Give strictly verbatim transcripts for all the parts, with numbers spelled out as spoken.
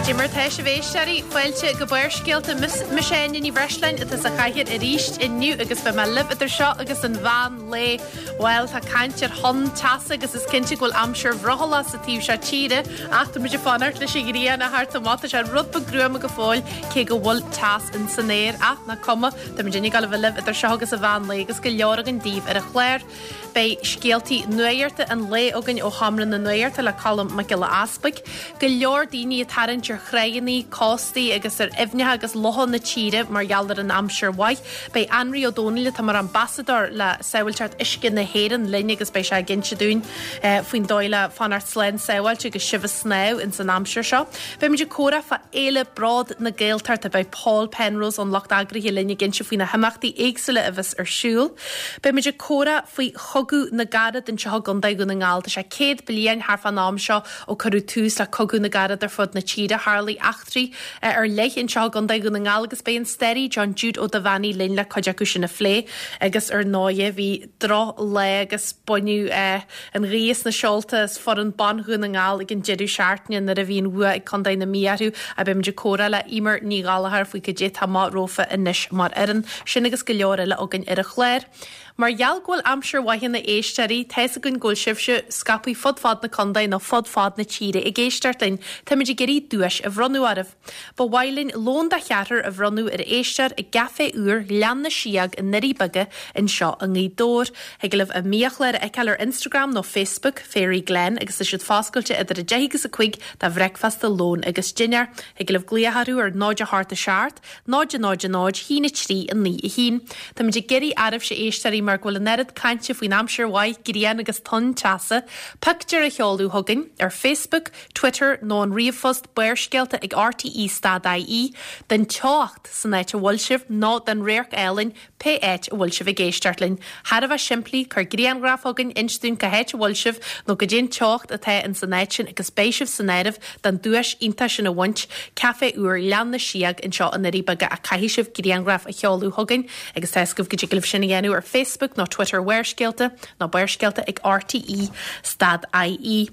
Goidé mar tá sibh, a éisteoirí, fáilte go Barrscéalta. Mise Áine Ní Bhreisleáin atá sa chathaoir arís inniu agus beidh mé libh idir seo agus an mheán lae. Bhuel, tá caint ar thonn teasa agus is cinnte go bhfuil aimsir bhrothallach sa taobh seo tíre ach tá muid ag fanacht leis an ghrian a theacht amach. Tá sé rud beag gruama go fóill cé go bhfuil teas in san aer ach nach cuma, tá muid ag gabháil a bheith libh idir seo agus an mheán lae agus go leor againn daoibh ar an chlár. Beidh scéaltaí nuachta an lae againn ó Sheomra na Nuachta le Colm Mac Giolla Easpaig. Go leor daoine ag tarraingt ar thránna, cóstaí agus ar aibhneacha agus lochanna na tíre mar gheall ar an aimsir mhaith. Beidh Anraí Ó Dónaill atá mar ambasadóir le sábháilteacht uisce na hÉireann linn agus beidh sé ag inse dúinn eh, faoin dóigh le fanacht slán sábháilte agus sibh ag snámh ins an aimsir seo. Beidh muid ag comhrá fá Fhéile Bród na Gaeltachta beidh Paul Penrose ón lucht eagraithe linn ag inse faoi na himeachtaí éagsúla a bheas ar siúl. Beidh muid ag comhrá faoi Chogadh na gCarad anseo i gContae Dhún na nGall. Tá sé céad bliain thart fán am seo ó cuireadh tús le Cogadh na gCarad ar fud na tíre tharla eachtraí eh, ar leith anseo i gContae Dhún na nGall agus beidh an staraí John Jude Ó Duibheannaigh linn le cuid acu sin a phlé agus ar ndóigh bhí drochlá agus baineadh eh, an ghaoth as na seolta as foireann ban Dhún na nGall ag an deireadh seachtaine nuair a bhí an bua ag Contae na Mí orthu a beimid ag comhrá le Emer Ní Ghallchóir faoi goidé atá amach rompu anois mar fhoireann sin agus go leor eile againn ar an chlár. Mar gheall go bhfuil aimsir mhaith a éisteoirí, tá a fhios againn go bhfuil sibhse scaipthe fud fad na contae nó fud fad na tíre ag éisteacht linn, Táimid ag iarraidh duais a bhronnadh oraibh. Ba mhaith linn lón de cheathrar a bhronnadh ar éisteoir i gCaifé úr Ghleann na Síóg i nDoirí Beaga anseo i nGaoth Dobhair. Thig libh a mbiachlár a fheiceáil ar Instagram nó Facebook, Fairy Glen, agus tá siad foscailte idir a deich agus a cúig do bhricfeasta lón agus dinnéar. Thig libh glaoch orthu ar náid a hocht a seacht, náid náid náid haon a trí a naoi a haon. Táimid ag iarraidh oraibhse éisteoirí mar go bhfuil an oiread cainte faoin aimsir mhaith grian agus tonn teasa, pictiúr a sheoladh chugainn ar Facebook, Twitter nó an ríomhphost barrscéalta ag RTE stad IE, den teocht san áit a bhfuil sibh nó den radharc álainn pé áit a bhfuil sibh ag éisteacht linn. Thar a bheith simplí cuir grianghraf chugainn inis dúinn cá háit a bhfuil sibh nó goidé an teocht atá in san áit sin agus beidh sibh san áireamh don duais iontach sin a bhaint, Café úr Ghleann na Síóg anseo i nDoirí Beaga a caithfidh sibh grianghraf a sheoladh chugainn agus tá go dtig libh sin a dhéanamh ar Facebook nó Twitter Bharrscéalta nó barrscéalta ag RTE stad IE.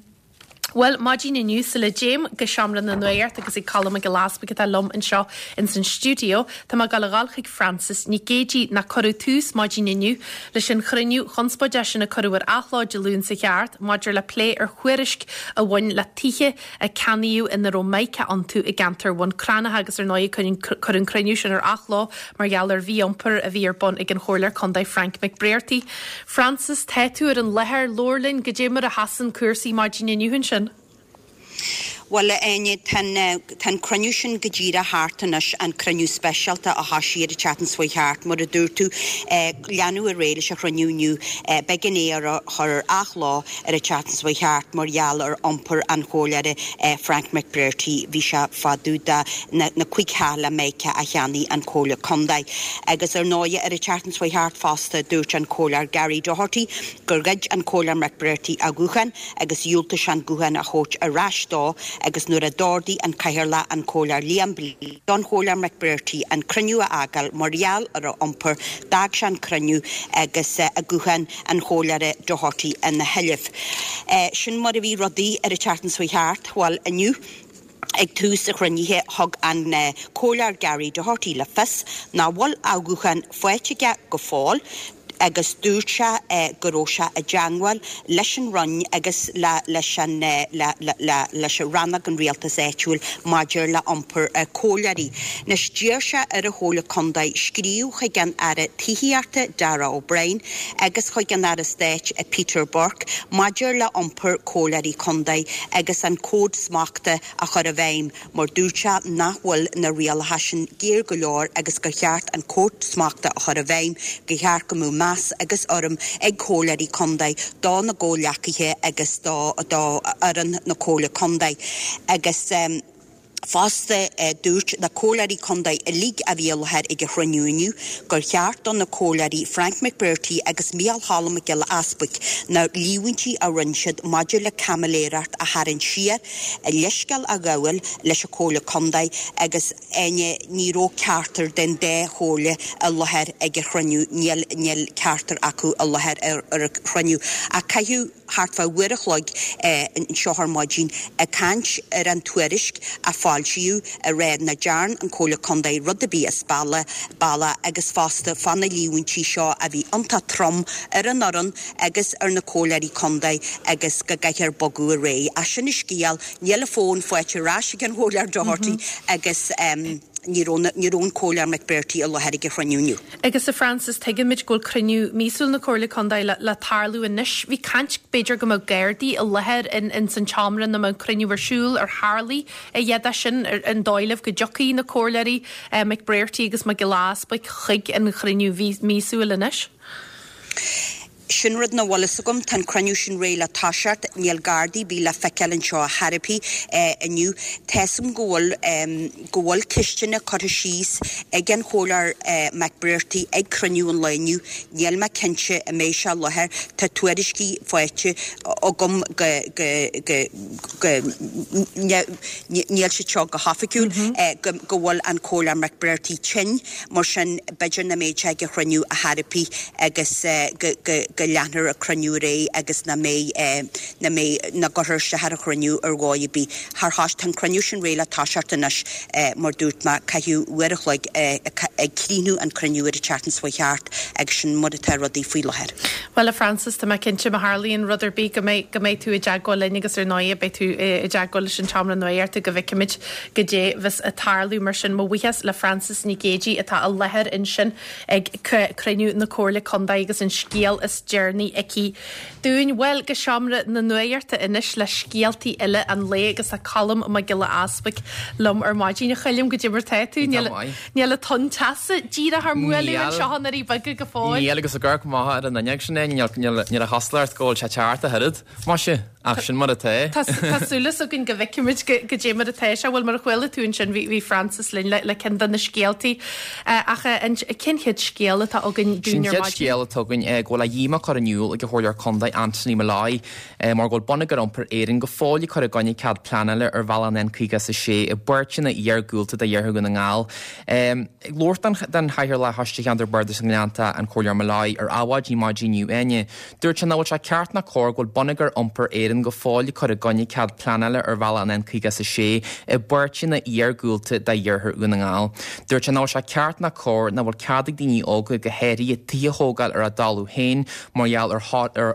Well maidin inniu sula dtéim go seomra na nuachta agus ag Colm Mac Giolla Easpaig atá liom anseo in san stiúideo, Tá mé ag gabháil a dhul chuig Francis Nic Géadaigh nach cuireadh tús maidin inniu leis an chruinniú conspóideach sin a cuireadh ar athló Dé Luain seo thart maidir le plé ar thuairisc a bhain le tithe a ceannaíodh ina raibh mica iontu i gceantar Bhun Cranncha agus ar ndóigh cuireadh an cruinniú sin ar athló mar gheall ar mhí-iompar a bhí ar bun ag an Chomhairleoir Contae Frank McBrearty. Francis tá tú ar an láthair labhair linn goidé mar a sheasann cúrsaí maidin inniu ansin. Well Áine tá cruinniú sin go díreach thart anois an cruinniú speisialta a thosaigh ar an tseachtain seo thart mar a dúirt tú leanadh ar aghaidh leis an chruinniú inniu b'éigean é a chur ar athló ar an tseachtain seo thart mar gheall ar iompar an chomhairleora Frank McBrearty bhí sé fá dtaobh de na, na cúig theach le mica a cheannaigh an Chomhairle Contae. Agus ar ndóigh ar an tseachtain seo thart fosta dúirt an comhairleoir Gary Doherty gur ghoid an comhairleoir McBrearty a ghuthán agus dhiúltaigh sé an guthán a thabhairt ar ais dó agus nuair a d'ordaigh an cathaoirleach an comhairleoir Liam don chomhairleoir McBrearty an cruinniú a fhágáil mar gheall ar a iompar d'fhág sé an cruinniú agus uh, a guthán an chomhairleora Doherty ina sheilbh. Uh, sin mar a bhí rudaí ar an tseachtain seo thart well inniu Ag tús an chruinnithe thug an uh, comhairleoir Gary Doherty le fios nach bhfuil a ghuthán faighte aige go fóill agus dúirt sé eh, go raibh sé i dteagmháil leis an Roinn agus le, leis an eh, le, le, le, leis an rannóg an rialtas áitiúil maidir le iompar uh, comhairleoirí. Anois d'iarr sé ar an Chomhairle Contae scríobh chuig an Aire Tithíochta Darragh O'Brien agus chuig an Aire Stáit Peter Burke maidir le iompar comhairleoirí contae agus an cód smachta a chur i bhfeidhm mar dúirt sé nach bhfuil na rialacha sin géar go leor agus gur cheart an cód smachta a chur i bhfeidhm go cheart go mbeadh meas agus urraim ag comhairleoirí contae dá na gcomhghleacaithe agus dá dá fhoireann na Comhairle Contae agus um, Fosta eh, dúirt na comhairleoirí contae uilig a bhí i láthair ag an chruinniú inniu gur cheart do na comhairleoirí Frank McBrearty agus Micheál Cholm Mac Giolla Easpaig na líomhaintí a rinne siad maidir le caimiléireacht a tharraingt siar a leithscéal a ghabháil leis an Chomhairle Contae agus Áine ní raibh ceachtar den dá chomhairleoir i láthair ag an chruinniú níl níl ceachtar acu i láthair ar ar an chruinniú a caitheadh thart fá uair a chloig anseo ar maidin ag caint ar an tuairisc a foilsíodh a rá nach dtearn an Chomhairle Contae rud ar bith as bealach agus fosta fá na líomhaintí seo a bhí iontach trom ar an fhoireann agus ar na comhairleoirí contae agus go gcaithfear bogadh ar aghaidh. Ach sin an scéal, níl an fón faighte ar ais ag an Chomhairleoir Doherty agus ní raibh ní raibh an Comhairleoir McBrearty i láthair ag an chruinniú inniu. Agus a Frances, tuigimid go bhfuil cruinniú míosúil na Comhairle Contae le, le tarlú anois. Bhí caint b'fhéidir go mbeadh Gardaí i láthair in, in san tseomra ina mbeadh an cruinniú ar siúl, ar tharlaigh a dhath de sin, ar, an dóigh libh go dtiocfaidh na Comhairleoirí eh, McBrearty agus Mac Giolla Easbuig chuig an chruinniú míosúil anois? Sin rud nach bhfuil fhios agam, tá an cruinniú sin réidh le toiseacht, níl Gardaí ar bith le feiceáil anseo ar chor ar bith inniu. Tá fhios agam go bhfuil go bhfuil ceisteanna curtha síos ag an Chomhairleoir McBrearty ag cruinniú an lae inniu. Níl mé cinnte an mbeidh sé i láthair. Tá tuairiscí faighte agam go go go go níl siad seo go hoifigiúil go go bhfuil an Comhairleoir McBrearty tinn, mar sin b'fhéidir nach mbeidh sé ag an chruinniú ar chor ar bith agus go go go leanfar an cruinniú ar aghaidh agus nach mbeidh nach mbeidh nach gcuirfear isteach ar an chruinniú ar dhóigh ar bith. Thar thais tá an cruinniú sin réidh le toiseacht anois mar dúirt mé caitheadh uair a chloig ag críochnú an cruinniú ar an tseachtain seo thart agus sin mar atá rudaí faoi láthair. Bhuel a Frances, tá mé cinnte má tharlaíonn rud ar bith go mbeidh go mbeidh tú i dteagmháil linn agus ar ndóigh beidh tú i dteagmháil leis an tseomra nuachta go bhfeicfimid goidé bheas ag tarlú mar sin mo bhuíochas le Frances Nic Géadaigh atá i láthair ansin ag cruinniú na Comhairle Contae agus an scéal is deireanaí aici dúinn. Bhuel go seomra na nuachta anois le scéaltaí eile an lae agus tá Colm Mac Giolla Easbuig liom ar maidin a Choilm goidé mar tá tú níl an tonn teasa díreach ár mbualadh anseo in Doirí Beaga go fóill. Níl agus ag amharc amach ar an fhuinneog sin é níl a chosúlacht go bhfuil sé ceart a thuiread Maise ach sin mar atá. Tá súil againn go bhfeicfimid goidé mar atá sé bhfuil mar a chuala tú ansin bhí Frances linn le le ceann de na scéaltaí ach an cén chéad scéal atá againn Sin chéad scéal atá againn go bhfuil a dhíomá curtha in iúl ag an Chomhairleoir Contae Anthony Molloy mar go bhfuil Bonneagar Iompair Éireann go fóill ag cur i gcoinne cead pleanála ar bhealach an N caoga is a sé i bpáirteanna iargúlta de Iarthar Dhún na nGall. Ag labhairt don Chathaoirleach Choiste Cheantar Bardais na nGleannta an Comhairleoir Molloy ar Adhmhaidin maidin inniu Áine. Dúirt sé nach bhfuil sé ceart ná cóir go bhfuil Bonneagar Iompair Éireann go fóill ag cur i gcoinne cead pleanála ar bhealach an N caoga is a sé i bpáirteanna iargúlta de Iarthar Dhún na nGall. Dúirt sé nach bhfuil sé ceart ná cóir nach bhfuil cead ag daoine óga go háirithe tithe a thógáil ar a dtalamh féin mar gheall ar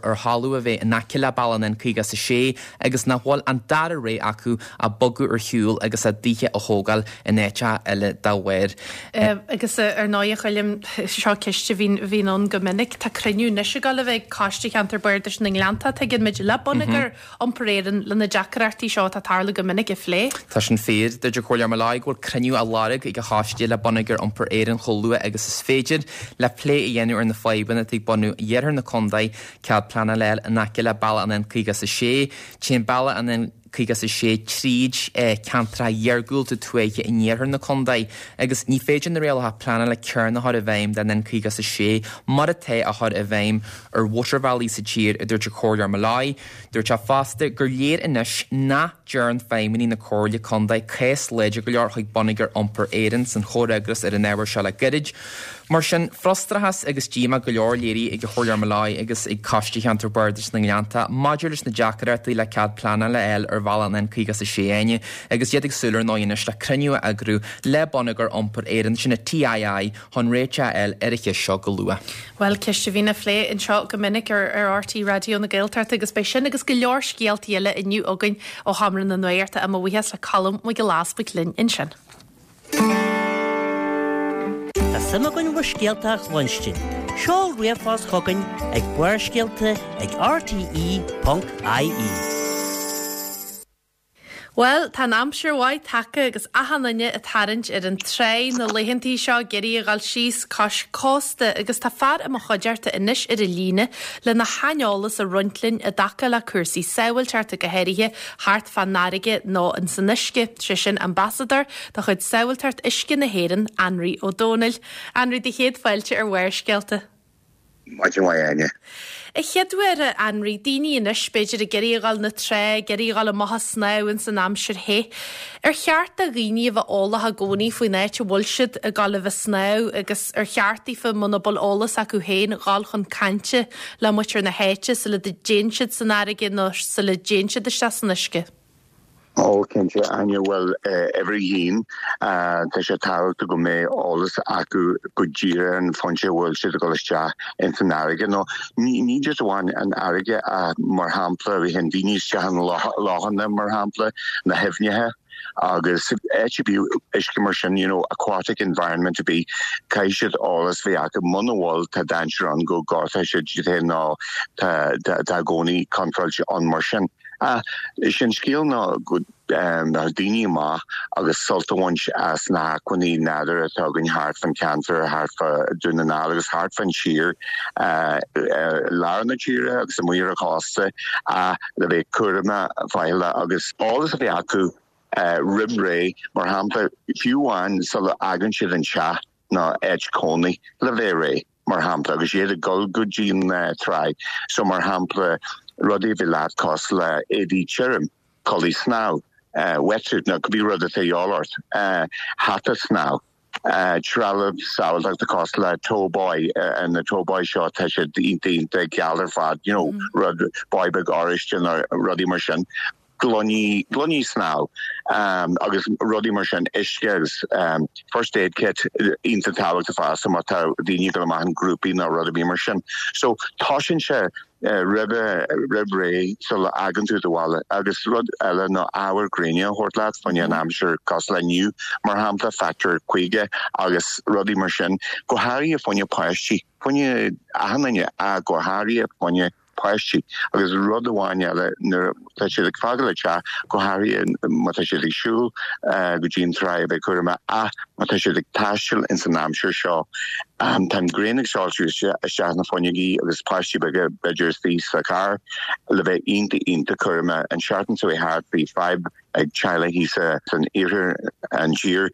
ar thalamh a bheith in aice le bealach an N caoga is a sé agus nach bhfuil an dara rogha acu ach bogadh ar shiúl agus a dtithe a thógáil in áiteacha eile dá bharr. Agus ar ndóigh a Choilm seo ceist a bhíonn bhíonn ann go minic tá cruinniú anois ag dul a bheith ag Coiste Cheantar Bardais na nGleannta tuigeann muid le Bonneagar Iompair Éireann le na deacrachtaí seo atá ag tarlú go minic a phlé. Tá sin fíor dúirt an Comhairleoir Molloy go bhfuil cruinniú á lorg ag a choiste le Bonneagar Iompair Éireann chomh luath agus is féidir le plé a dhéanamh ar na fadhbanna atá ag bunú iarthar na contae cead pleanála in aice le bealach an N caoga is a sé, Téann bealach an N caoga is a sé tríd ceantracha iargúlta tuaithe in iarthar na contae agus ní féidir na rialacha pleanála céanna a chur i bhfeidhm den N caoga is a sé mar atá á chur i bhfeidhm ar mhótarbhealaí sa tír a dúirt an Comhairleoir Molloy. Dúirt sé fosta gur léir anois nach dtearn feidhmeannaigh na Comhairle Contae cás láidir go leor chuig Bonneagar Iompair Éireann san chomhfhreagras ar an ábhar seo le gairid. Mar sin frustrachas agus díomá go leor léirithe ag an Chomhairleoir Molloy agus ag Coiste Cheantar Bardais na nGleannta maidir leis na deacrachtaí le cead pleanála a fháil ar bhealach an N caoga is a sé Áine agus iad ag súil ar ndóigh anois le cruinniú a eagrú le Bonneagar Iompair Éireann sin na TII chun réiteach a fháil ar an cheist seo go luath. Well ceist a bhíonn á phlé anseo go minic ar ar RTÉ Raidió na Gaeltachta agus beidh sin agus go leor scéaltaí eile inniu againn ó Sheomra na Nuachta mo bhuíochas le Colm Mac Giolla Easbuig linn ansin. Tá suim againn bhur scéalta a chluinstin. Seol ríomhphost chugainn ag Barrscéalta ag RTE.ie. Well, tá an aimsir mhaith tagtha agus achan duine ag tarraingt ar an trá na laethantaí seo ag iarraidh a dhul síos cois cósta agus tá fear i mo chuideachta anois ar an líne lena shaineolas a roinnt linn i dtaca le cúrsaí sábháilteachta go háirithe thart fán fharraige nó in san uisce, sé sin ambasadóir de chuid Sábháilteacht Uisce na hÉireann, Anraí Ó Dónaill. Anraí do chéad fáilte ar Bharrscéalta. Maidin mhaith, Áine. A chéaduair, a Anraí, daoine anois, b'fhéidir, ag iarraidh a dhul na trá, ag iarraidh a dhul amach a snámh ins an aimsir the. Ar cheart do dhaoine a bheith eolach i gcónaí faoin áit a bhfuil siad ag dul a bheith snámh agus ar cheart daofa, muna bhfuil eolas acu féin, dhul chun cainte le muintir na háite sula dtéann siad san fharraige nó sula dtéann siad isteach san uisce? Ó, cinnte, Áine, bhuel, uimhir a haon, tá sé tábhachtach go mbeidh eolas acu go díreach ar an phointe a bhfuil siad ag dul isteach ins an fharraige. Nó ní ní just amháin an fharraige ach mar shampla bhí an daoine isteach in lochanna mar shampla, na haibhneacha agus áit ar bith uisce mar sin, you know, aquatic environment ar bith, caithfidh siad eolas bheith acu. Muna bhfuil, tá dainséar ann go gortóidh siad iad féin nó tá tá i gcónaí contúirt ann mar sin. Ach is é an scéal ná go mbeadh daoine amach agus sult a bhaint as na hacmhainní nádúrtha atá againn thart fán cheantar, thart fá Dún na nGall agus thart fán tír, lár na tíre agus amuigh ar an chósta, ach le bheith cúramach faichilleach agus eolas a bheith acu roimh ré, mar shampla, fiú amháin sula bhfágann siad an teach nó áit cónaí, le bheith réidh. mar shampla, agus iad ag dul go dtí an tráigh. So, mar shampla, rudaí a bheith leat cosúil le éadaí tirim, culaith snámh, wetsuit nó cibé rud atá de dhíobháil ort, hata snámh, trealamh sábháilteachta cosúil le tow buoy, na tow buoy seo tá siad iontach iontach geal ar fad, you know, rud buoy beag oráiste nó rudaí mar sin. gloiní, gloiní snámh agus rudaí mar sin, uisce agus first aid kit iontach tábhachtach fosta má tá daoine ag dul amach in grúpaí nó rud ar bith mar sin. So tosaíonn sé roimhe, roimh ré sula fhágann tú do bhaile agus rud eile ná ábhar gréine a thabhairt leat fá choinne an aimsir cosúil le inniu mar shampla, factor caoga agus rudaí mar sin, go háirithe fá choinne páistí, fá choinne achan duine ach go háirithe fá choinne páistí. Agus rud amháin eile, nuair atá siad ag fágáil an teach, go háirithe má tá siad ag siúl go dtí an trá, a bheith cúramach, ach má tá siad ag taisteal ins an aimsir seo, tá an ghrian ag soilsiú isteach na fuinneogaí agus páistí beaga b'fhéidir istigh sa charr, le bheith iontach iontach cúramach. An seachtain seo thart bhí fadhb ag teaghlaigh thíos san iarthar an tír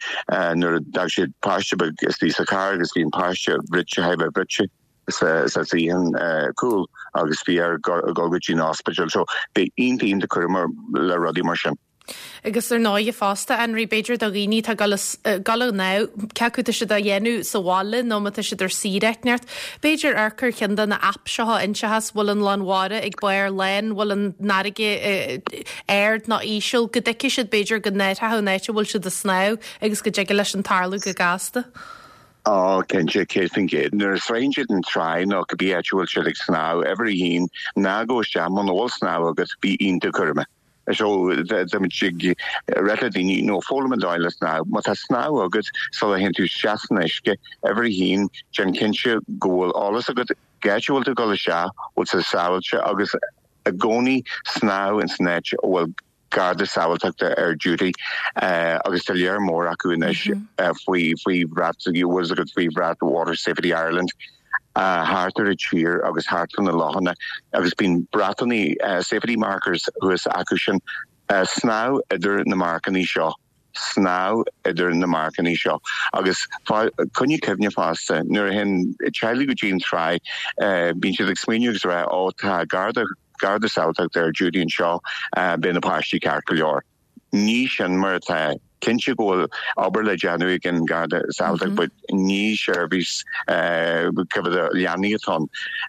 nuair a d'fhág siad páiste beag istigh sa charr agus bhí an páiste bruite, thar a bheith bruite. sa suíochán cúil agus bhí air dul go dtí an ospidéal. So bheith iontach iontach cúramach le rudaí mar sin. Agus ar ndóighe fosta, Anraí, b'fhéidir do dhaoine atá ag dul ag dul ag snámh, cé acu tá siad á dhéanamh sa bhaile nó má tá siad ar saoire áit inteacht, b'fhéidir amharc ar cheann de na apps seo a inseochas bhfuil an lán mhara ag barr lán, bhfuil an fharraige ard nó íseal, go dtuigfidh siad b'fhéidir go n-athródh an áit a bhfuil siad ag snámh agus go dtig leis an tarlú go gasta. Á, cinnte, céad faoin gcéad. Nuair a sroicheann siad an tráigh nó cibé áit a bhfuil siad ag snámh, uimhir a haon, ná gabh isteach muna bhfuil snámh agat, bí iontach cúramach. So, táimid ag rá le daoine, nó foghlaim an dóigh le snámh. Má tá snámh agat sula théann tú isteach san uisce, uimhir a haon, déan cinnte go bhfuil eolas agat cá háit a bhfuil tú ag dul isteach, bhfuil sé sábháilte agus i gcónaí snámh ins an áit a bhfuil Garda Sábháilteachta ar duty agus tá lear mór acu anois faoi faoi bhrat, bhfuil agat faoi bhrat Water Safety Ireland thart ar an tír agus thart fá na lochanna agus bíonn bratanna safety markers thuas acu sin. Snámh idir na marcannaí seo. Snámh idir na marcannaí seo. Agus coinnigh cuimhne fosta, nuair a théann teaghlaigh go dtí an tráigh, bíonn siad ag smaoineamh agus ag rá, 'Ó, tá Garda Garda Sábháilteachta ar duty anseo, beidh na páistí ceart go leor. Ní sin mar atá. Cinnte go bhfuil obair le déanamh ag an Garda Sábháilteachta but ní seirbhís coimhéad leanaí atá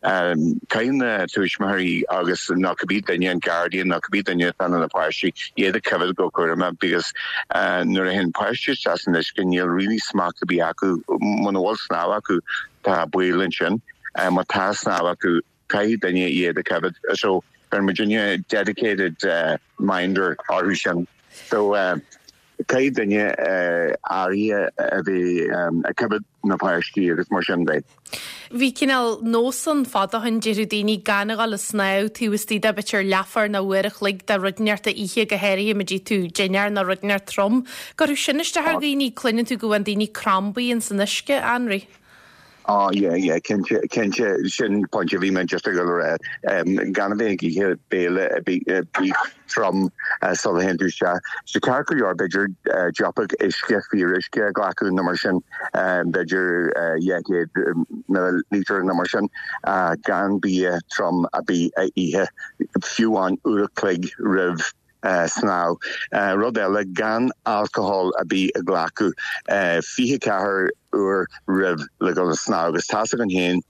ann. Caithfidh na tuismitheoirí agus nó cibé duine, an guardian nó cibé duine atá le na páistí, iad a choimhéad go cúramach because nuair a théann páistí isteach san uisce níl really smacht ar bith acu, muna bhfuil snámh acu tá baol ansin. Má tá snámh acu, Caithfidh duine iad a choimhéad. So bheireann muidinne dedicated minder orthu sin. So caithfidh duine áirithe a bheith ag coimhéad na páistí agus mar sin de. Bhí cineál nós ann fadó ó shin, déarfadh daoine gan a dhul ag snámh taobh istigh de b'fhéidir leathuair nó uair a chloig de rud inteacht oíche, go háirithe má d'ith tú dinnéar nó rud inteacht trom. Gcuirfeadh sin isteach ar dhaoine, cluineann tú go bhfaigheann daoine crambaí ins an uisce, Anraí. Oh yeah, yeah, cinnte, cinnte sin pointe bhí mé just ag dul a rá. Gan a bheith ag ithe béile a bhí trom sula théann tú isteach. So ceart go leor b'fhéidir deoch uisce fíoruisce a ghlacadh nó mar sin b'fhéidir dhá chéad millilítear nó mar sin gan bia trom ar bith a ithe fiú amháin uair a chloig roimh snámh. Rud eile, gan alcohol ar bith a ghlacadh fiche ceathair uair roimh le dul ag snámh agus tá's againn féin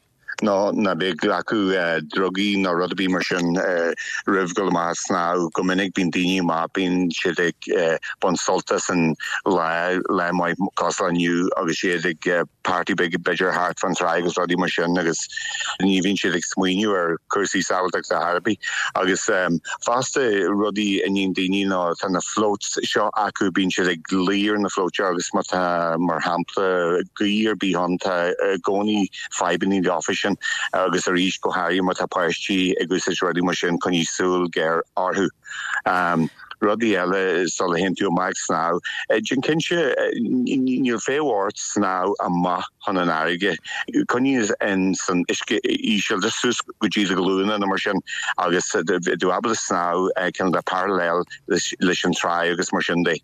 ná ná bí ag glacadh drugaí nó rud ar bith mar sin roimh dul amach ag snámh. Go minic bíonn daoine amach, bíonn siad ag baint sult as an lá, lá maith cosúil le inniu agus iad ag party big b'fhéidir thart fan trá agus rudaí mar sin agus ní bhíonn siad ag smaoineamh ar cúrsaí sábháilteachta ar bith. Agus fosta rudaí a níonn daoine ná tá na floats seo acu bíonn siad ag luí ar na floats seo agus má tá mar shampla gaoth ar bith ann tá i gcónaí fadhbanna leofa sin agus arís go háirithe má tá páistí ag úsáid rudaí mar sin coinnigh súil ghéar orthu. Rudaí eile sula théann tú amach ag snámh. Déan cinnte níl feidhm ort snámh amach chun an fharraige. Coinnigh in san uisce íseal just suas go dtí do ghlúine nó mar sin agus tú ábalta snámh cineál de parallel leis an tráigh agus mar sin de.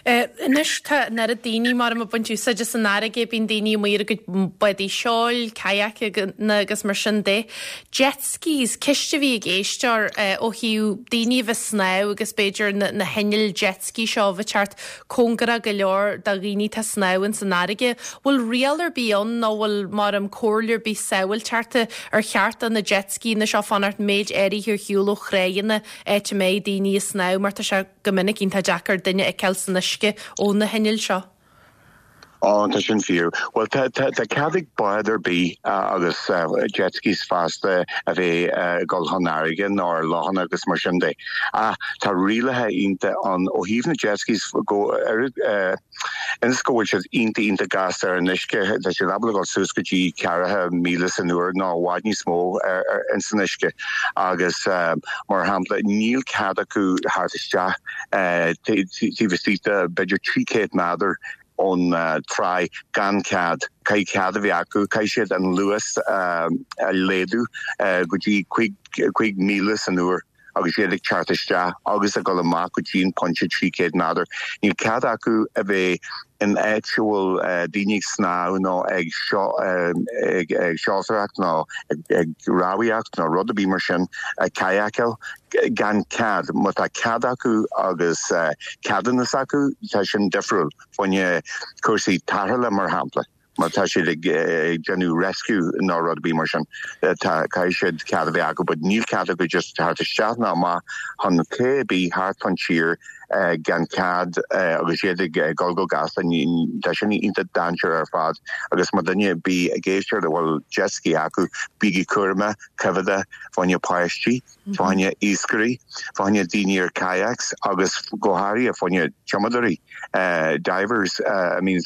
Anois tá an oiread daoine mar ag baint úsáid as an fharraige, bíonn daoine amuigh ar a gcuid bádaí seoil, kayakanna agus mar sin de. Jet skis, ceist a bhí ag éisteoir ó thaobh daoine a bheith snámh agus b'fhéidir na, na hinnill jet ski seo a bheith teacht cóngarach go leor do dhaoine atá snámh ins an fharraige. Bhfuil riail ar bith ann nó bhfuil mar am comhairle ar bith sábháilteachta ar cheart do na jet ski-anna seo fanacht méid áirithe ar shiúl ó thráigheanna áit a mbeidh daoine ag snámh mar tá sé go minic iontach deacair duine a fheiceáil san uisce ó na hinnill seo. Ó, tá sin fíor. Bhuel, tá tá cead ag bád ar bith agus jet skis fosta a bheith ag dul chun farraige nó ar lochanna agus mar sin de. Ach tá rialacha iontach ann ó thaobh na jet skis go ionas go bhfuil siad iontach iontach gasta ar an uisce, tá siad ábalta dul suas go dtí ceathracha míle san uair nó i bhfad níos mó ins an uisce. Agus mar shampla níl cead acu theacht isteach taobh istigh de b'fhéidir trí chéad méadar ón tráigh gan cead. Caithfidh cead a bheith acu, caithfidh siad an luas a laghdú go dtí cúig míle san uair agus iad ag teacht isteach agus ag dul amach go dtí an pointe trí chéad méadar. Níl cead acu a bheith in áit a bhfuil daoine ag snámh nó ag seoltóireacht nó ag rámhaíocht nó rud ar bith mar sin, ag kayakáil gan cead. Má tá cead acu agus ceadúnas acu, tá sin difriúil fá choinne cúrsaí tarrthála mar shampla. Má tá siad ag déanamh rescue nó rud ar bith mar sin, tá caithfidh siad cead a bheith acu, but níl cead acu just theacht isteach ná amach chun cé ar bith thart fán tír gan cead agus iad ag dul go gasta. Tá sin iontach dainséarach ar fad agus má duine ar bith ag éisteacht a bhfuil jet ski acu, bígí cúramach, coimhéadach fá choinne páistí, fá choinne iascairí, fá choinne daoine ar kayaks agus go háirithe fá choinne tumadóirí, divers, I mean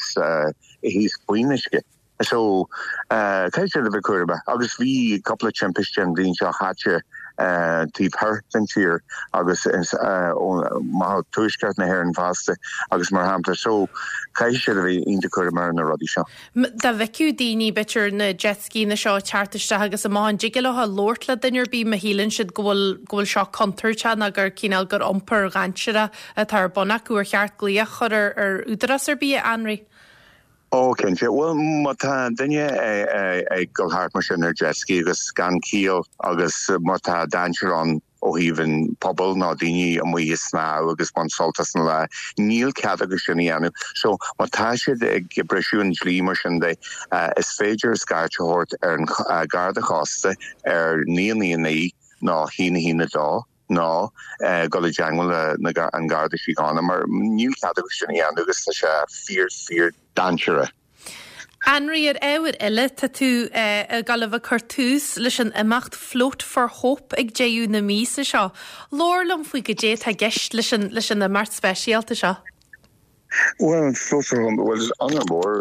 thíos faoin uisce. So caithfidh siad a bheith cúramach agus bhí cúpla timpiste an bhliain seo chaite taobh thoir den tír agus amach ó tuaisceart na hÉireann fosta agus mar shampla so caithfidh siad a bheith iontach cúramach ar na rudaí seo. Dá bhfeicfeadh daoine b'fhéidir na jet ski-anna seo ag teacht isteach agus amach an dtig leo labhairt le duine ar bith má shíleann siad go bhfuil go bhfuil seo contúirteach nó gur cineál gur iompar dainséarach atá ar bun acu ar cheart glaoch a chur ar ar údarás ar bith, a Anraí? Ó cinnte, bhuel má tá duine ag dul thart mar sin ar jet ski agus gan ciall agus má tá dainséar ann ó thaobh an pobal nó daoine amuigh ag snámh agus baint sult as an lá, níl cead acu sin a dhéanamh. So má tá siad ag briseadh an dlí mar sin de, is féidir scairt a thabhairt ar an Garda Cósta ar naoi naoi naoi nó haon a haon a dó nó dul i dteagmháil le an Garda Síochána mar níl cead acu sin a dhéanamh agus tá sé fíor fíor dainséarach. Anraí, ar ábhar eile, tá tú ag dul a bheith ag cur tús leis an imeacht Float for Hope ag deireadh na míosa seo. Labhair liom faoi goidé atá i gceist leis an leis an imeacht speisialta seo. Bhuel, an Float for Hope, bhuel, is onóir mór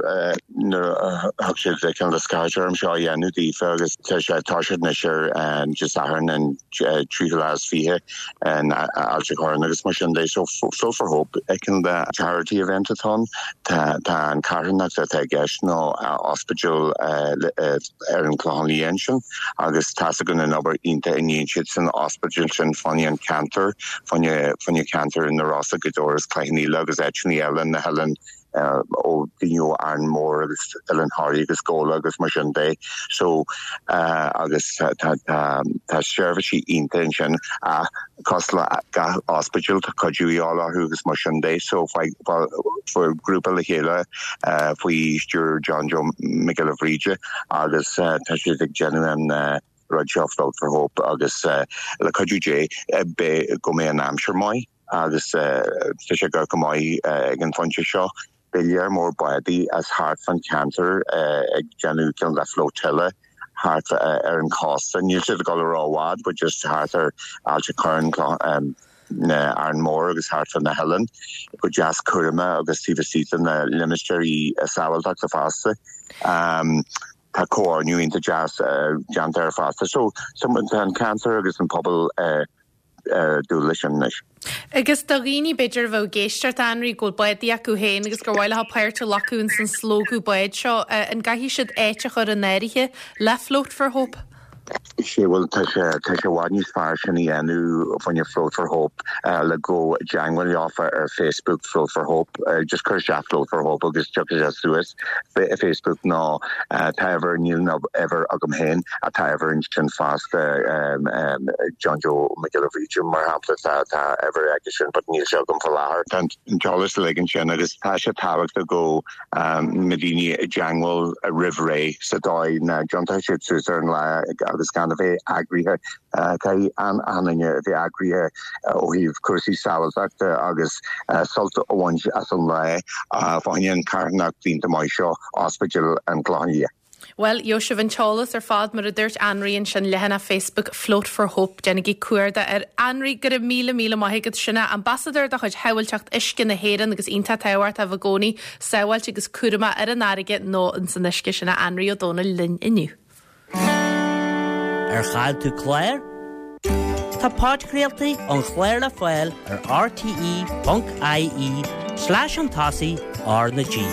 nuair a thug siad cineál de scairteadh orm seo a dhéanamh daofa agus tá sé tá siad anois ar Dé Sathairn an tríú lá is fiche in Ailt an Chorráin agus mar sin de. So Float for Hope cineál de charity event atá ann. Tá tá an carthanacht atá i gceist ná ospidéal ar an Chlochán Liath ansin agus tá's againn an obair iontach a ndéanann siad san ospidéal sin fá choinne an ceantar, fá choinne fá choinne ceantar na Rosa, Gaoth Dobhair agus Cloich Cheann Fhaola agus áiteanna eile na hoileáin ó daoine ó Árainn Mhór agus Oileán Thoraí agus Gabhla agus mar sin de. So agus tá tá seirbhísí iontach ansin ach cosúil le gach ospidéal tá cuidiú a dhíobháil orthu agus mar sin de. So fuair grúpa le chéile faoi stiúir John Joe Mac Giolla Bhríde agus tá siad ag déanamh an rud seo Float for Hope agus le cuidiú Dé beidh go mbeidh an aimsir maith agus tá sé go go maith ag an phointe seo. Beidh léar mór bádaí as thart fan ceantar ag déanamh cineál de flotilla thart ar an cósta. Níl siad ag dul ró-fhad, but just thart ar Ailt an Chorráin, na Árainn Mhór agus thart fan na hoileáin go deas cúramach agus taobh istigh de na limistéirí sábháilteachta fosta. Um, tá comhordú iontach deas déanta air fosta. So, tá an ceantar agus an pobal dúil leis sin anois. Agus do dhaoine b'fhéidir a bheadh ag éisteacht Anraí go bhfuil bádaí acu féin agus gur mhaith leo páirt a ghlacadh ins an slógadh bád seo, an gcaithfidh siad áit a chur in áirithe le Float for Hope? Sé bhuel tá sé tá sé i bhfad níos fearr sin a dhéanamh fá choinne Float for Hope le go dteagmháil leofa ar Facebook Float for Hope just cuir isteach Float for Hope agus tiocfaidh sé suas Facebook nó tá uimhir níl ná uimhir agam féin tá uimhir ansin fosta John Joe Mac Giolla Bhríde mar shampla tá tá uimhir aige sin but níl sé agam faoi láthair. Tá an t-eolas uilig ansin agus tá sé tábhachtach go mbeidh daoine i dteagmháil roimh ré sa dóigh nach dtiontóidh siad suas ar an lá agus gan a bheith eagraithe. Caithfidh an duine a bheith eagraithe ó thaobh cúrsaí sábháilteachta agus sult a bhaint as an lá fá choinne an carthanacht iontach maith seo Ospidéal an Chlocháin Liath. Bhuel, gheobhaidh sibh an t-eolas ar fad mar a dúirt Anraí ansin leathanach Facebook Float for Hope déanaigí cuardach air. Anraí go raibh míle míle maith agat sin é ambasadóir de chuid Shábháilteacht Uisce na hÉireann agus iontach tábhachtach a bheith i gcónaí sábháilte agus cúramach ar an fharraige nó ins an uisce sin é Anraí Ó Dónaill linn inniu. Ar chaill tú clár? Tá podchraoltaí an chláir le fáil ar rte.ie slash an tosaigh R na G.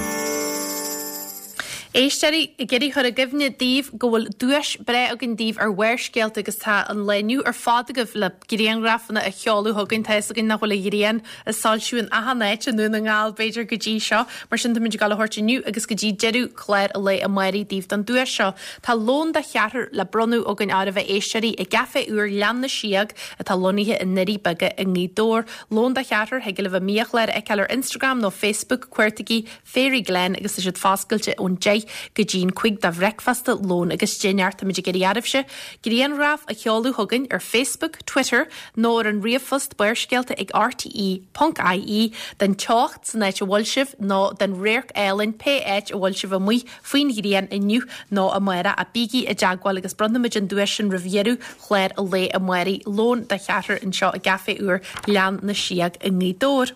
Éisteoirí ag iarraidh chur i gcuimhne daoibh go bhfuil duais breá againn daoibh ar Bharrscéalta agus tá an lá inniu ar fad agaibh le grianghrafanna a sheoladh chugainn. Tá fhios againn nach bhfuil an ghrian ag soilsiú in achan áit i nDún na nGall b'fhéidir go dtí seo. Mar sin táimid ag dul a thabhairt inniu agus go dtí deireadh chlár an lae amáirigh daoibh don duais seo. Tá lón de cheathrar le bronnadh againn oraibh a éisteoirí i gCaifé úr Ghleann na Síóg atá lonnaithe i nDoirí Beaga i nGaoth Dobhair. Lón de cheathrar thig libh a mbiachlár a fheiceáil ar Instagram nó Facebook cuartaigí Fairy Glen agus tá siad foscailte ón deich go dtí an cúig do bhricfeasta, lón agus dinnéar. Táimid ag iarraidh oraibhse grianghraf a sheoladh chugainn ar Facebook, Twitter nó ar an ríomhphost barrscéalta ag rte.ie den teocht san áit a bhfuil sibh nó den radharc álainn pé áit a bhfuil sibh amuigh faoin ghrian inniu nó amárach a bígí i dteagmháil agus bronnfaimid an duais sin roimh dheireadh chlár an lae amáirigh lón de cheathrar anseo i gCaifé úr Ghleann na Síóg i nGaoth Dobhair.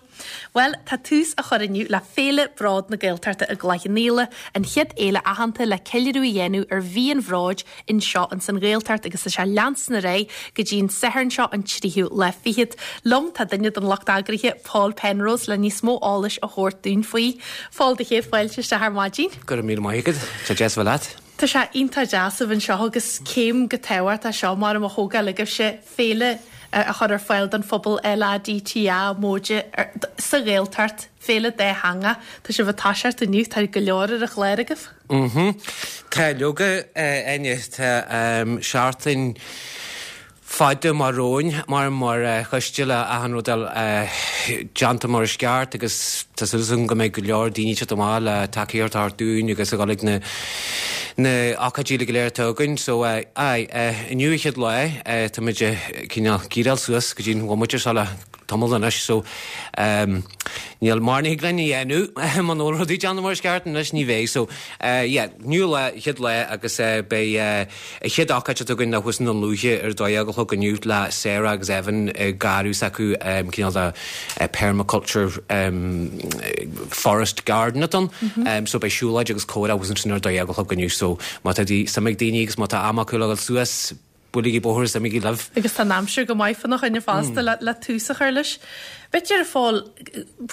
Bhuel, tá tús á chur inniu le Féile Bród na Gaeltachta i gCloich Cheann Fhaola, an chéad fhéile aitheanta le ceiliúradh a dhéanamh ar mhí an Bhróid anseo ins an Ghaeltacht agus tá sé ag leanstan ar aghaidh go dtí an Satharn seo an tríú lá fichead. Liom tá duine den lucht eagraithe, Paul Penrose, le níos mó eolais a thabhairt dúinn faoi. Paul do chéad fáilte isteach ar maidin. Go raibh míle maith agat, tá deas a bheith leat. Tá sé iontach deas a bheith anseo agus céim go tábhachtach seo mar a thógáil agaibhse féile a chur ar fáil don phobal LADTA móide sa Ghaeltacht, féile dátheangach. Tá sibh ag toiseacht inniu, tá go leor ar an chlár agaibh. Mhm. Tá leoga Áine, tá seachtain fada amach romhainn mar mar choiste le achan rud déanta mar is ceart agus tá súil agam go mbeidh go leor daoine teacht amach le tacaíocht a thabhairt dúinn agus a dhul ag na na ócáidí go léir atá againn. So aye, inniu an chéad lá táimid cineál gearáil suas go dtí an bhomaite seo le tamall anois so um, níl mar ní linn a dhéanamh muna bhfuil rudaí déanta mar is ceart anois ní bheidh so uh, yeah, inniu lá chéad lá agus uh, beidh uh, a chéad ócáid atá againn thuas i nDún Lúiche ar dó dhéag a chlog inniu le Sarah agus Evan uh, garraí s'acu um, cineál de uh, permaculture um, forest garden atá ann mm -hmm. um, so beidh siúlóid agus comhrá thuas ansin ar dó dhéag a chlog inniu so má tá dí suim ag daoine agus má tá am acu le suas buailgí bóthar is imígí libh. Agus tá an aimsir go maith fána choinne fosta le, le tús a chur leis. B'fhéidir a Phóil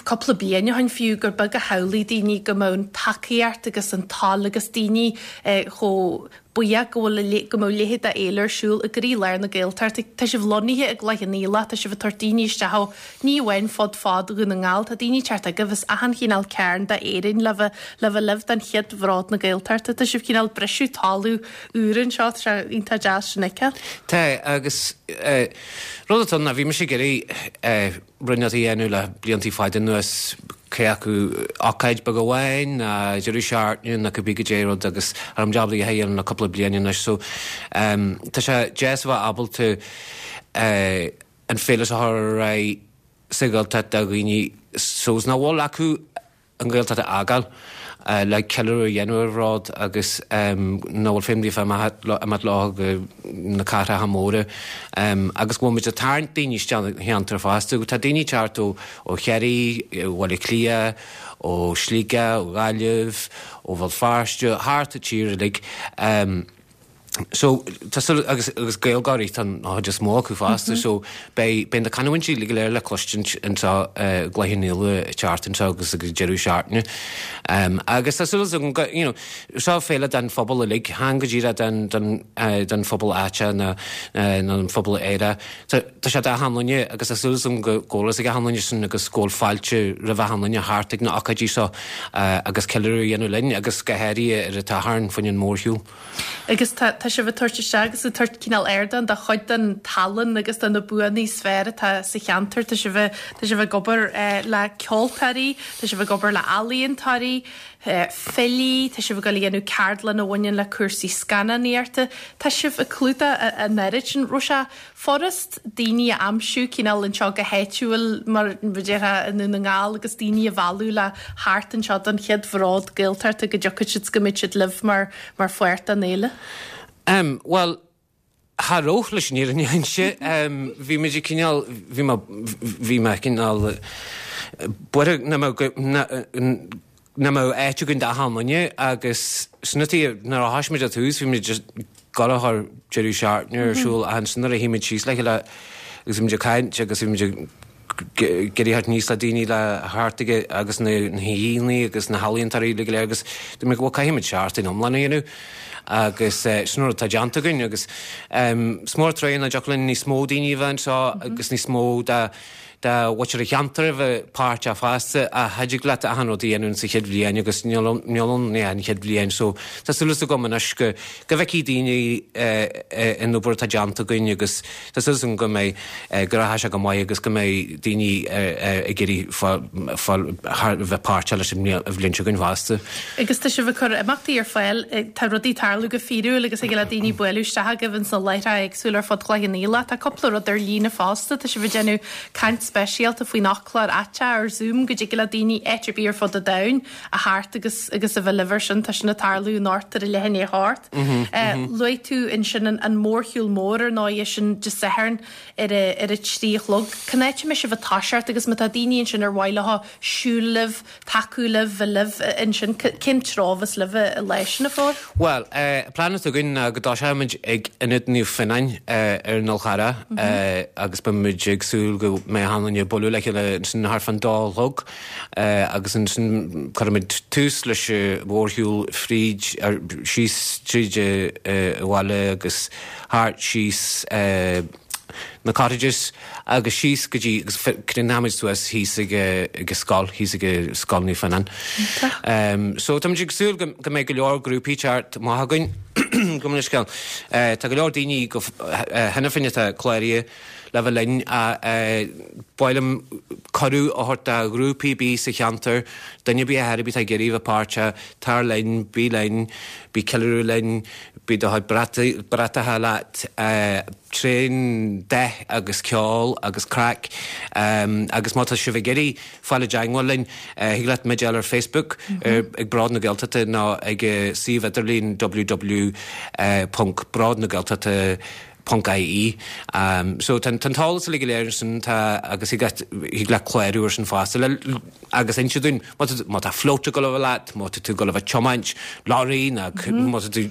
cúpla bliain ó shin fiú gur beag a shamhlaigh daoine go mbeadh an tacaíocht agus an toil agus daoine eh, chomh buíoch go bhfuil go mbeadh a leithéid d'fhéile ar siúl i gcroílár na Gaeltachta. Tá sibh lonnaithe i gCloich Cheann Fhaola, tá sibh ag tabhairt daoine isteach ó ní amháin fud fad Dhún na nGall, tá daoine teacht agaibh as achan chineál cearn d'Éirinn le bheith le bheith libh don chéad Bhród na Gaeltachta. Tá sibh cineál briseadh talamh úr anseo, tá sé iontach deas sin a fheiceáil. Tá agus eh, rud atá ann ná bhí mise ag iarraidh eh, rud a dhéanamh le blianta fada anuas cé acu ócáid beag amháin ná deireadh seachtaine nó cibé goidé rud agus ar an jab a dhéanamh le cúpla bliain anois so um, tá sé deas a bheith ábalta uh, an féile a chur ar aghaidh sa Ghaeltacht do dhaoine so nach bhfuil acu an Ghaeltacht a fhágáil uh, le ceiliúradh a dhéanamh ar rud agus um, nach bhfuil féin fé imeacht leo go na cathracha móra um, agus go bhfuil muid ag tarraingt daoine isteach cheantar fosta, tá daoine teacht ó ó Chiarraí, ó Bhaile Átha Cliath, ó Sligeach, ó Ghaillimh, ó Bhéal Feirste, thart an tír uilig. Um, So tá súil agus agus Gaeilgeoirí tá an chuid is mó acu fosta, so beidh beidh na canúintí go léir le cloisint anseo i gCloich Cheann Fhaola teacht anseo agus agus deireadh seachtaine. Um, agus tá súil agam go you know, seo féile den phobal uilig, chan go díreach den den uh, den phobal áite na uh, na an phobal Éire. Tá tá sé d'achan duine agus tá súil agam go go bhfuil ag achan duine sin agus go bhfuil fáilte roimh achan duine thart ag na ócáidí seo uh, agus ceiliúradh a dhéanamh linn agus go háirithe ar an Satharn faoin an mórshiúl. Agus tá tá sibh ag tabhairt isteach agus ag tabhairt cineál ardán do chuid den tallann agus de na buanna is fearr atá sa cheantar tá sibh tá sibh ag obair eh, le ceoltóirí, tá sibh ag obair le ealaíontóirí, eh, filí, tá sibh ag dul a dhéanamh ceardlann a bhaineann le cúrsaí scannánaíochta, Tá sibh ag clúdach an oiread sin raibh sé furast daoine a aimsiú cineál anseo go háitiúil mar b'fhéidir i nDún na nGall agus daoine a mhealladh le thart anseo don chéad Bhród Gaeltachta go dtiocfaidh siad go mbeidh siad libh mar mar pháirt den fhéile. Um, well, Cha raibh leis an fhírinne a inse um, bhí muid cineál bhí mé bhí mé cineál buartha nach mbeadh nach mbeadh áit againn d'achan duine agus sna nuair a thosaigh muid ar tús bhí muid just ag dul a chur deireadh seachtaine ar siúl ansin nuair a shuigh muid síos le chéile agus bhí muid ag caint agus bhí muid ag iarraidh níos le daoine le thart aige agus na haíonna agus na healaíontóirí go léir agus dúirt mé go caithfidh muid seachtain iomlán a dhéanamh agus uh, sin rud atá déanta againn agus um, is mór trua nach dtiocfadh linn níos mó daoine a bheith anseo agus níos mó de de mhuintir an cheantair a bheith páirteach fosta a thig leat achan rud a dhéanamh sa chéad bhliain agus níl ann an chéad bhliain so tá súil agam anois go go bhfeicfidh daoine an obair atá déanta againn agus tá súil agam go mbeidh go rachaidh sé go maith agus go mbeidh daoine ag iarraidh bheith páirteach leis an bhliain seo againn fosta. Agus tá sibh ag cur imeachtaí ar fáil tá rudaí ag tarlú go fíorúil agus ag le daoine bualadh isteach agaibh sna láithreacha éagsúla ar fud Chloich Cheann Fhaola, Tá cúpla rud ar líne fosta, tá sibh ag déanamh caint speisialta faoin fhoclóir aiteach ar Zoom go dtig le daoine áit ar bith ar fud an domhain a theacht agus agus a bheith libh sin tá sin ag tarlú anocht ar a leath i ndiaidh a hocht. Luaigh tú ansin an, an mórshiúl mór ar ndóigh sin Dé Sathairn ar a, ar a trí a chlog. Cén áit a mbeidh sibh ag toiseacht agus má tá daoine ansin ar mhaith leo siúl libh, tacú libh, bheith libh ansin cén treo a bheas libh i leis na fóir? Well, uh, plean atá againn ná go dtoiseoimid ag Ionad Naomh Fionnán uh, ar an Fhál Charrach mm -hmm. uh, agus beimid ag súil go mbeidh achan duine ag bualadh le chéile ansin thart fán dó a chlog uh, agus ansin cuirfimid tús leis an mhórshiúl fríd ar síos tríd uh, bhaile agus thart síos uh, na cottages agus síos go dtí agus críochnóimid suas thíos ag ag scoil thíos ag Scoil Naomh Fionnán. Um, so tá ag súil go go mbeidh go leor grúpaí teacht maith againn go scéal. Uh, tá go leor daoine go cheana féin atá cláraithe le bheith linn ba mhaith liom cuireadh a thabhairt do ghrúpaí ar bith sa cheantar, duine ar bith a bhí ag iarraidh bheith páirteach, tar linn, bí linn, bí ceiliúradh linn, bí do bratacha leat tréan dath bia agus ceol agus craic um, agus má tá sibh ag iarraidh fáil i dteagmháil linn uh, thig leat muid a fháil ar Facebook mm -hmm. uh, ag Bród na Gaeltachta nó ag uh, suíomh idirlín www ponc Bród na Gaeltachta .ie. Um, so tá an t-eolas uilig go léir sin tá agus thig leat clárú ar sin fosta agus inse dúinn má tá float ag gabháil a bheith leat, má tá tú ag gabháil a bheith ag tiomáint lorry ná má tá tú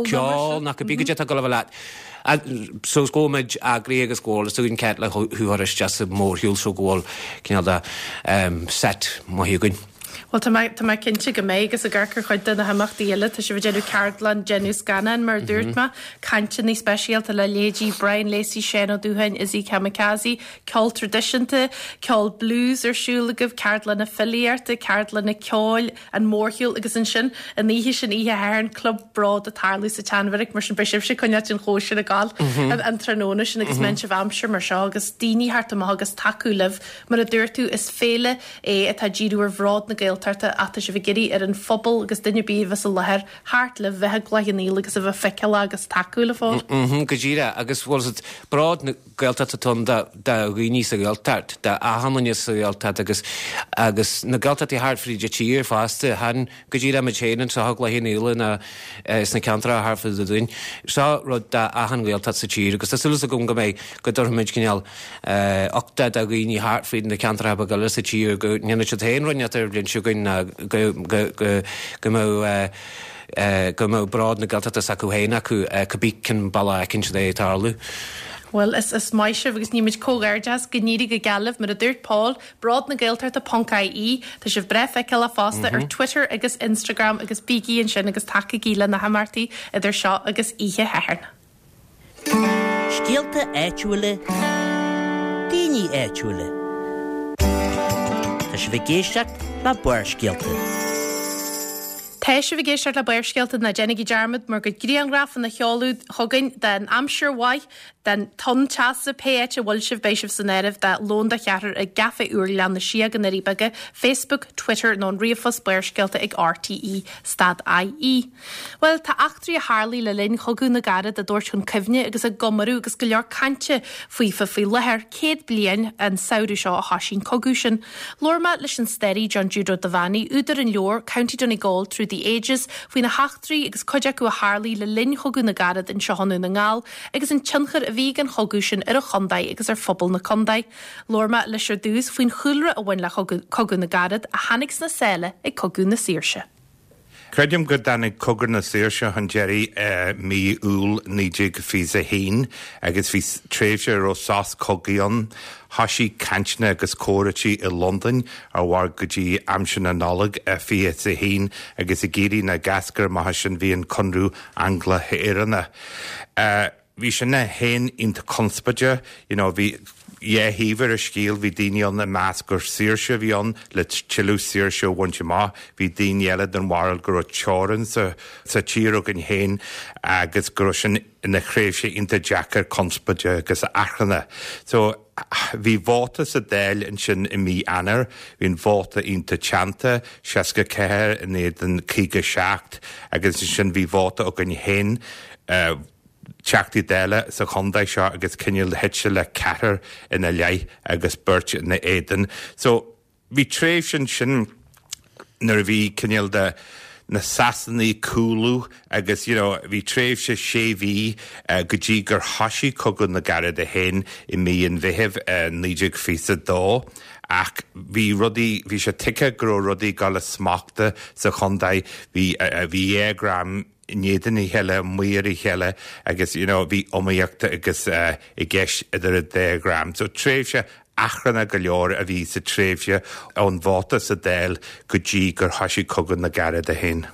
ceol ná cibé cad é atá ag gabháil a bheith leat. So go mbeidh eagraí agus go bhfuil tú ceart le thú a chur isteach sa mórshiúl so go bhfuil cineál de um, set maith againn. Well tá mé tá mé cinnte go mbeidh agus ag amharc ar chuid de na himeachtaí eile tá sibh ag déanamh ceardlann déanamh scannán mar dúirt mé cainteanna speisialta le leithéidí Brian Lacey Seán Ó Dútháin Izzy Kamikaze, ceol traidisiúnta, ceol blues ar siúl agaibh ceardlanna filíochta, ceardlanna ceoil an mórshiúl agus ansin an oíche sin oíche Shathairn Club Bród ag tarlú sa tSeanbheairic mar sin beidh sibhse coinneáil an chóisir ag gabháil an tráthnóna sin agus mm sibh aimsir mar seo agus daoine thart amach agus tacú libh mar a dúirt tú is féile é atá díriú ar bhród na Gaeltachta ach tá sibh ag iarraidh ar an phobal agus duine ar bith a bheith sa láthair thart le bheith ag Cloich Cheann Fhaola agus a bheith feiceáil agus tacú le fáil. Go díreach agus bhfuil Bród na Gaeltachta ann do dhaoine sa Ghaeltacht, do achan duine sa Ghaeltacht agus agus na Gaeltachtaí thart fríd an tír fosta chan go díreach muid féin anseo i gCloich Cheann Fhaola ná sna ceantracha thart fá dtaobh dúinn. Seo rud do achan Ghaeltacht sa tír agus tá súil agam go mbeidh go dtabharfaimid cineál uchtach do dhaoine thart fríd na ceantracha beaga eile sa tír go ndéanfaidh siad féin rud inteacht ar an bhliain seo chugainn ná go go go go mbeidh go mbeidh bród na Gaeltachta s'acu féin acu cibé cén bealach a fheiceann siad é ag tarlú. Well, is, is maith sibh agus nímid comhghairdeas go n-éirí go geal libh mar a dúirt Paul, Bród na Gaeltachta ponc IE, Tá sibh breá feiceálach fosta mm -hmm. ar Twitter agus Instagram agus bígí ansin agus tacaígí le na himeachtaí idir seo agus oíche Shathairn. Scéalta áitiúla, daoine áitiúla. Tá sibh ag éisteacht le Barrscéalta. Tá sibh ag éisteacht le Barrscéalta ná déanaigí dearmad bhur gcuid grianghrafanna a sheoladh chugainn den aimsir mhaith den tonn teasa pé áit a bhfuil sibh beidh sibh san áireamh de lón de cheathrar i gCaifé úr Ghleann na Síóg i nDoirí Beaga, Facebook, Twitter nó an ríomhphost Barrscéalta ag RTE stad IE. Well tá eachtraí a tharlaigh le linn Chogadh na gCarad á dtabhairt chun cuimhne agus á gcomóradh agus go leor cainte faofa faoi láthair céad bliain an samhradh seo a thosaigh an cogadh sin. Labhair mé leis an staraí John Jude Ó Duibheannaigh, údar an leabhair County Donegal Through the Ages faoi na heachtraí agus cuid acu a tharlaigh le linn Chogadh na gCarad anseo i nDún na nGall agus an tionchar a bhí ag an chogadh sin ar an chontae agus ar phobal na contae. Labhair mé leis ar dtús faoin chúlra a bhain le Cogadh na gCarad a tháinig sna sála ag Cogadh na Saoirse. Creidim go dtáinig Cogadh na Saoirse chun deiridh mí Iúil naoi déag fiche a haon agus bhí tréimhse a raibh sos cogaidh ann. Thosaigh cainteanna agus comhráití i Londain a mhair go dtí aimsir na Nollag fiche a haon agus ag éirí na gcascar amach sin bhí an Conradh Angla-Éireannach. Bhí sin é féin iontach conspóideach, you know, bhí dhá thaobh ar an scéal, bhí daoine ann a mheas gur saoirse a bhí ann le tuilleadh saoirse a bhaint amach, bhí daoine eile den bharúil go raibh teorainn sa sa tír againn féin agus go raibh sin ina thréimhse iontach deacair conspóideach agus achrannach. So bhí vóta sa Dáil ansin i mí Eanáir, bhí an vóta iontach teannta, seasca ceathair in éadan caoga seacht agus ansin bhí vóta againn féin uh, Teachtaí Dála sa chontae seo agus cineál thit sé le ceathrar ina leith agus beirt ina éadan. So bhí tréimhse ansin nuair a bhí cineál de na Sasanaigh ag cúlú agus you know, bhí tréimhse sé mhí uh, go dtí gur thosaigh Cogadh na gCarad é féin i mí an Mheithimh uh, naoi déag fiche a dó. Ach bhí rudaí bhí sé tuigthe go raibh rudaí ag dul as smacht sa chontae bhí uh, bhí dhá dhream in éadan a chéile amuigh ar a chéile agus you know, bhí iomaíocht agus uh, i gceist idir an dá dhream. So tréimhse achrannach go leor a bhí sa tréimhse ón vóta sa Dáil go dtí gur thosaigh Cogadh na gCarad é féin.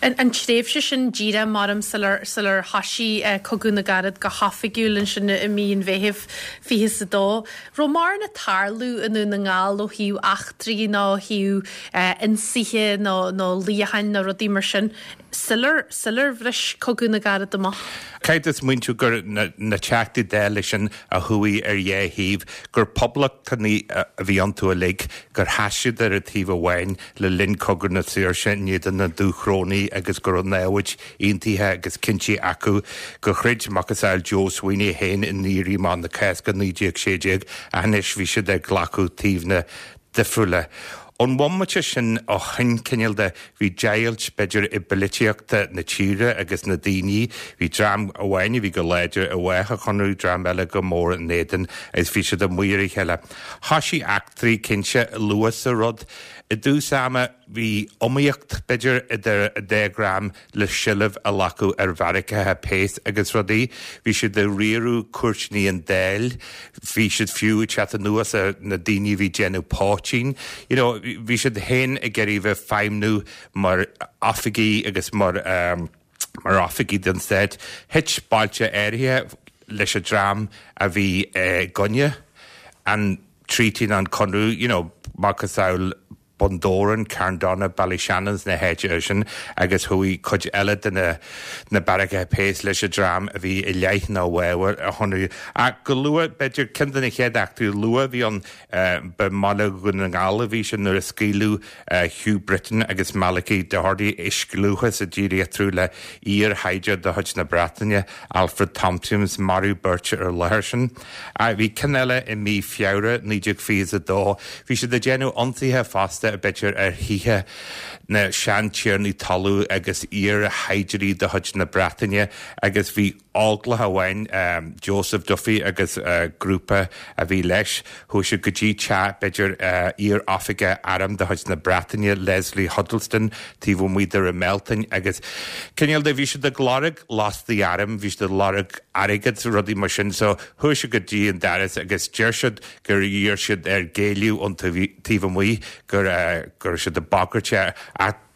An, an tréimhse sin díreach maram sular sular thosaigh uh, Cogadh na gCarad go hoifigiúil ansin i mí an Mheithimh fiche a dó. Raibh mórán ag tarlú i nDún na nGall ó thaobh eachtraí nó ó thaobh uh, ionsaithe nó nó luíocháin nó rudaí mar sin. Sular sular bhris Cogadh na gCarad amach. Caithfidh tú smaointiú gur na, na Teachtaí Dála sin a chuaigh ar dhá thaobh, gur poblachtanaigh a bhí iontu uilig, gur sheas siad ar an taobh amháin le linn Cogadh na Saoirse in éadan na Dúchrónaigh agus go raibh namhaid aontaithe agus cinntí acu gur throid macasamhail Joe Sweeney féin in Éirí Amach na Cásca naoi déag sé déag ach anois bhí siad ag glacadh taobhanna difriúla. Ón bhomaite sin ó shin cineál de bhí deighilt b'fhéidir i bpolaitíocht na tíre agus na daoine, bhí dream amháin a bhí go láidir i bhfách an Chonradh, dream eile go mór in éadan agus bhí siad amuigh ar a chéile. Thoisigh eachtraí cinnte luath sa rud. I dtús ama bhí iomaíocht b'fhéidir idir an dá dhream le seilbh a ghlacadh ar bheairiceacha péas agus rudaí. Bhí siad ag riaradh cúirteanna an Dáil, bhí siad fiú ag teacht anuas ar na daoine a bhí ag déanamh poitín. You know, bhí siad féin ag iarraidh bheith feidhmiú mar oifigigh agus mar um, mar oifigigh den stát. Thit bailte áirithe leis an dream a bhí i gcoinne an treaty an conradh, you know, macasamhail Bundoran, Carndonagh, Ballyshannon na háiteanna sin agus chuaigh cuid eile de na na beairiceacha péas leis an dream a bhí i leith nó i bhfabhar an Chonradh. Ach go luath, b'fhéidir ceann de na chéad eachtraí luath a bhí ann, ba i mBaile Dhún na nGall a bhí sé nuair a scaoileadh Hugh Britton agus Malachy Doherty i scliúchas a d'éirigh eatarthu le iar-shaighdiúir de chuid na Breataine, Alfred Tompkins, maraíodh beirt ar an láthair sin. Bhí ceann eile i mí Feabhra naoi déag fiche a dó. Bhí siad ag déanamh ionsaithe fosta, b'fhéidir, ar thithe na seantiarnaí talún agus iar-shaighdiúirí de chuid na Breataine agus bhí óglach amháin, Joseph Duffy agus grúpa a bhí leis, chuaigh siad go dtí teach, b'fhéidir, iar-oifigeach airm de chuid na Breataine, Leslie Huddleston, taobh amuigh de Ramelton agus cineál de, bhí siad ag lorg lastaí airm, bhí siad ag lorg airgead, rudaí mar sin, so chuaigh siad go dtí an doras agus deir siad gur iarr siad air géilleadh ón taobh amuigh, go raibh siad ag bagairt air ach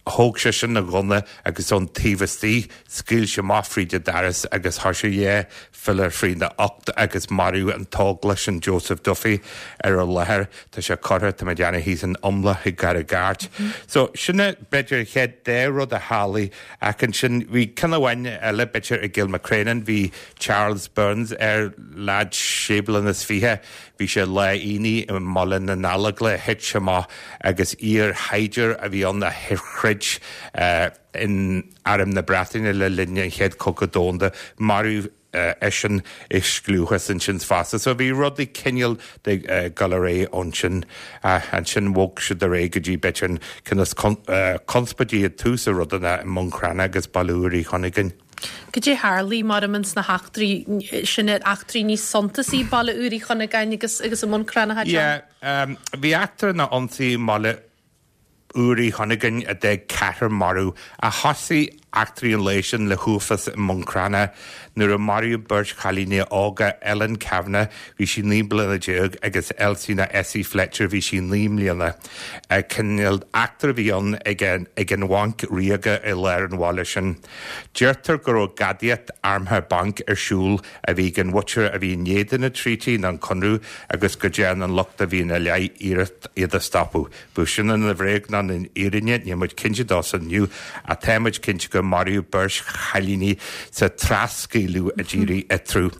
thóg seisean a ghunna agus ón taobh istigh scaoil sé amach fríd an doras agus thoisigh dhá phiolla frína ucht agus maraíodh an t-óglach sin Joseph Duffy ar an láthair. Tá sé curtha, tá mé ag déanamh, thíos in Iomla i gCarraig Airt. So sin é b'fhéidir an chéad dá rud a tharlaigh ach ansin bhí ceann amháin eile b'fhéidir i gCilmacrénan, bhí Charles Burns ar leaid sé bliana is fiche, Bhí sé lá Aoine i mBaile na nGallóglach, thit sé amach agus iar-shaighdiúir a bhí ann a throid in Arm na Breataine le linn an Chéad Chogadh Domhanda. Maraíodh eisean i scliúchas ansin fosta. So bhí rudaí cineál de dul ar aghaidh ansin. Ansin bhog siad ar aghaidh go dtí b'fhéidir an ceann is conspóidí i dtús a rudanna i mBun Cranncha agus Baile Úr Uí Chuinneagáin. Cad é tharlaigh mar ins na heachtraí sin ar eachtraí níos suntasaí Baile Úr Uí Chuinneagáin agus agus i mBun Cranncha? Yeah, um, bhí eachtra na ionsaí i mBaile Úr Uí Chuinneagáin a d'fhág ceathrar marbh ach thosaigh eachtraí an lae sin le huafás i mBun Cranncha nuair a maraíodh beirt chailíní óga, Ellen Kavanagh, bhí sí naoi mbliana déag, agus Elsie nó Essie Fletcher, bhí sí naoi mbliana. Cineál eachtra a bhí ann ag an Bhanc Ríoga i lár an bhaile sin. Deirtear go raibh gadaíocht armtha bainc ar siúl a bhí ag an mhuintir a bhí in éadan an treaty nó an conradh agus go dtearn an lucht a bhí ina leith iarracht iad a stopadh. Bíodh sin ina bhréag nó ina fhírinne, níl muid cinnte dó san inniu ach tá muid cinnte gur maraíodh beirt chailíní sa trascaoileadh a d'éirigh eatarthu.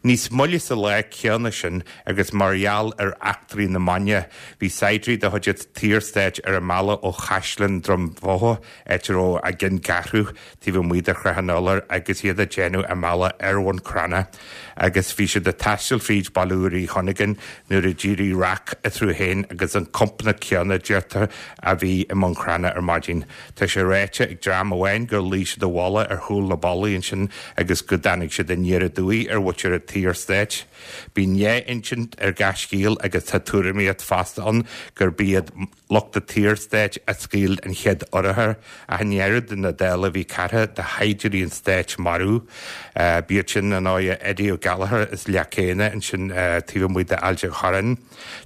Níos moille sa lá céanna sin agus mar gheall ar eachtraí na maidine, bhí saighdiúirí de chuid an tSaorstáit ar a mbealach ó Chaisleán Droim Bhotha, áit a raibh a gceanncheathrú, taobh amuigh de Shrath an Iolair agus iad ag déanamh a mbealach ar Bhun Cranncha agus bhí siad ag taisteal fríd Baile Úr Uí Chuinneagáin nuair a d'éirigh raic eatarthu féin agus an compánach céanna, deirtear, a bhí i mBun Cranncha ar maidin. Tá sé ráite ag dream amháin gur luigh siad i bhfolach ar chúl na ballaí ansin agus go dtáinig siad aniar aduaidh ar mhuintir an tSaorstáit. Bíonn dhá insint ar gach scéal agus tá tuairimíocht fosta ann gurb iad lucht an tSaorstáit a scaoil an chéad urchar ach i ndeireadh na dála bhí ceathrar de shaighdiúirí an stáit marbh. B'iad sin ar ndóigh Eddie O'Gallagher as Leac Éanna ansin taobh amuigh d'Ailt an Chorráin,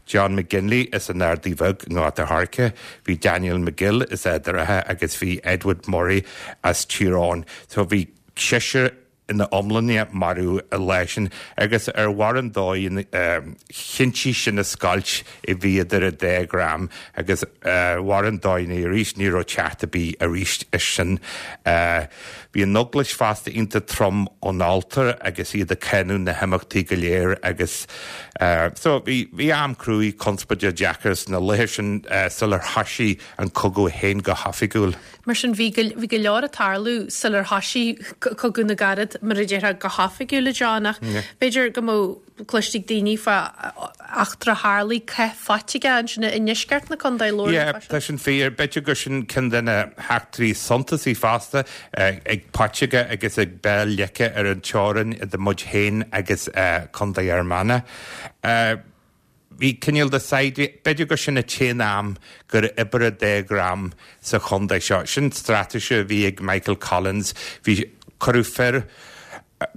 John McGinley as an Ardaidh Bheag i nGort a' Choirce, bhí Daniel McGill as Ard an Rátha agus bhí Edward Murray as Tír Eoghain. So bhí seisear ina iomláine marbh an lá sin agus ar bharr an dóigh chinntigh sin an scoilt a bhí idir an dá dhream agus ar bharr an dóigh arís ní raibh teacht ar bith arís air sin. Bhí an Eaglais fosta iontach trom ón alltar agus iad ag cáineadh na himeachtaí go léir agus so bhí bhí am cruaidh conspóideach deacair sna laethe sin sular thoisigh an cogadh féin go hoifigiúil. Mar sin bhí bhí go leor ag tarlú sular thoisigh Cogadh na gCarad mar a déarfá go hoifigiúil a John ach b'fhéidir go mbeadh cloiste ag daoine fá eachtra a tharlaigh Cath Phaiteige ansin i ndeisceart na contae lár Yeah, tá sin fíor. B'fhéidir gur sin ceann de na heachtraí suntasaí fosta ag Paiteige agus ag Béal Leice ar an teorainn idir muid féin agus Contae Fhear Manach. Bhí cineál de saighdiúirí, b'fhéidir gur sin an t-aon am gur oibrigh an dá dhream sa chontae seo. Sin straitéis a bhí ag Michael Collins. Bhí, cuireadh fir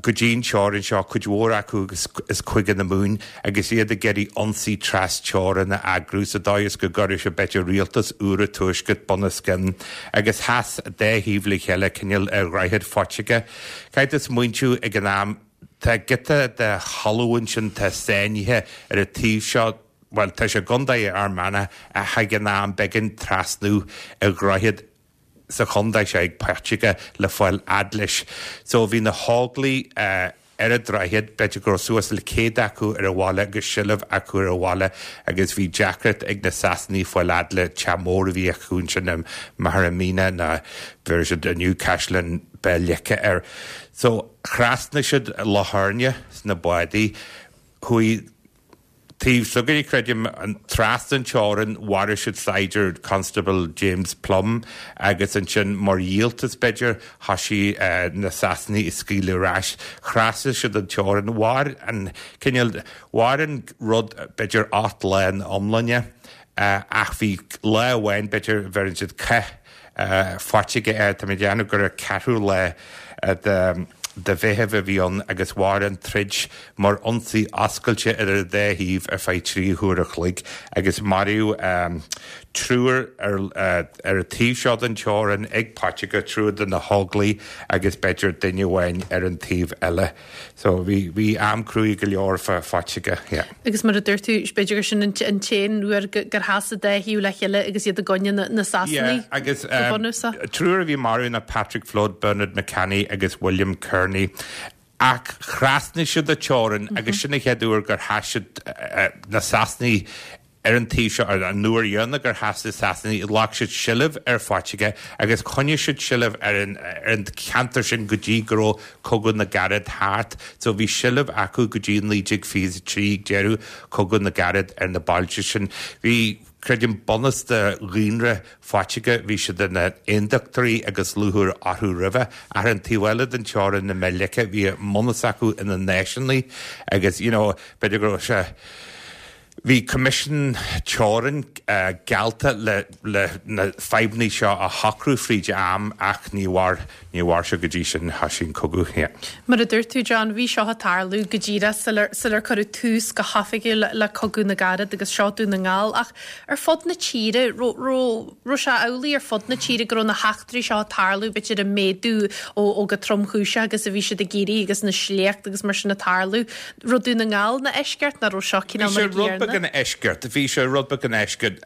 go dtí an teorainn seo, cuid mhór acu as Cúige na Mumhan, agus iad ag iarraidh ionsaí tras-teorann a eagrú sa dóigh is go gcuirfeadh sé b'fhéidir rialtas úr an Tuaiscirt bunoscionn agus sheas an dá thaobh le chéile cineál ar Dhroichead Phaiteige. Caithfidh tú smaointiú ag an am, tá giota de thalamh ansin tá sáinnithe ar an taobh seo, bhuel tá sé i gContae Fhear Manach ach ag an am b'éigean trasnú ar dhroichead sa chontae seo ag Paiteige le fáil fhad leis. So bhí na hÓglaigh ar an droichead, b'fhéidir go raibh suas le céad acu ar an bhaile agus seilbh acu ar an bhaile agus bhí deacracht ag na Sasanaigh fáil fhad le teach mór a bhí acu ansin i Maghera Míne nó bheir siad inniu Caisleán Béal Leice air. So thrasnaigh siad Loch Éirne sna bádaí, chuaigh taobh s'againne, creidim, trasna an teorainn, mharaigh siad saighdiúir, Constable James Plumb, agus ansin mar dhíoltas, b'fhéidir, thoisigh na Sasanaigh ag scaoileadh ar ais. Thrasnaigh siad an teorainn. Mhair an cineál, mhair an rud b'fhéidir ocht lá ina iomláine, ach bhí lá amháin, b'fhéidir, bheireann siad cath Phaiteige air, tá mé ag déanamh gur an ceathrú lá de de Mheitheamh a bhí ann agus mhair an troid mar ionsaí oscailte ar an dá thaobh ar feadh trí huair a chloig agus maraíodh triúr ar ar an taobh seo den teorainn ag Paiteige, triúr de na hÓglaigh agus b'fhéidir duine amháin ar an taobh eile. So bhí bhí am cruaidh go leor fá Phaiteige, yeah. Agus mar a dúirt tú, b'fhéidir gur sin an t-aon uair gur sheas an dá thaobh le chéile agus iad i gcoinne na Sasanaigh Yeah, agus go bunúsach. triúr a bhí marbh ná Patrick Flood, Bernard McCanny agus William Kearney. Ach thrasnaigh siad an teorainn agus sin an chéad uair gur sheas siad na Sasanaigh ar an taobh seo, an uair dheireanach gur sheas na Sasanaigh, ghlac siad seilbh ar Phaiteige agus choinnigh siad seilbh ar an ar an cheantar sin go dtí go raibh Cogadh na gCarad thart. So bhí seilbh acu go dtí naoi déag fiche a trí, deireadh Cogadh na gCarad ar na bailte sin. Bhí, creidim, bunús de dhaonra Phaiteige, bhí siad ina n-aondachtóirí agus lúcháir orthu roimhe. Ach ar an taobh eile den teorainn i mBéal Leice, bhí a mbunús acu ina náisiúnaigh agus, you know, b'fhéidir go raibh sé, Bhí Coimisiún Teorann geallta le le na fadhbanna seo a shocrú fríd am ach ní mhair ní mhair sé go dtí sin, thoisigh an cogadh. Yeah. Mar a dúirt tú John, bhí seo ag tarlú go díreach sular sular cuireadh tús go hoifigiúil le Cogadh na gCarad agus seo Dún na nGall ach ar fud na tíre, raibh raibh raibh sé amhlaidh ar fud na tíre go raibh na heachtraí seo ag tarlú b'fhéidir ag méadú ó ó chomh tromchúiseach agus a bhí siad ag éirí agus na sléachta agus mar sin ag tarlú. Raibh Dún na nGall ina eisceacht nó raibh seo Bhí cineál sé mar a rud beag gcéanna? ina eisceacht, bhí sé rud beag ina eisceacht.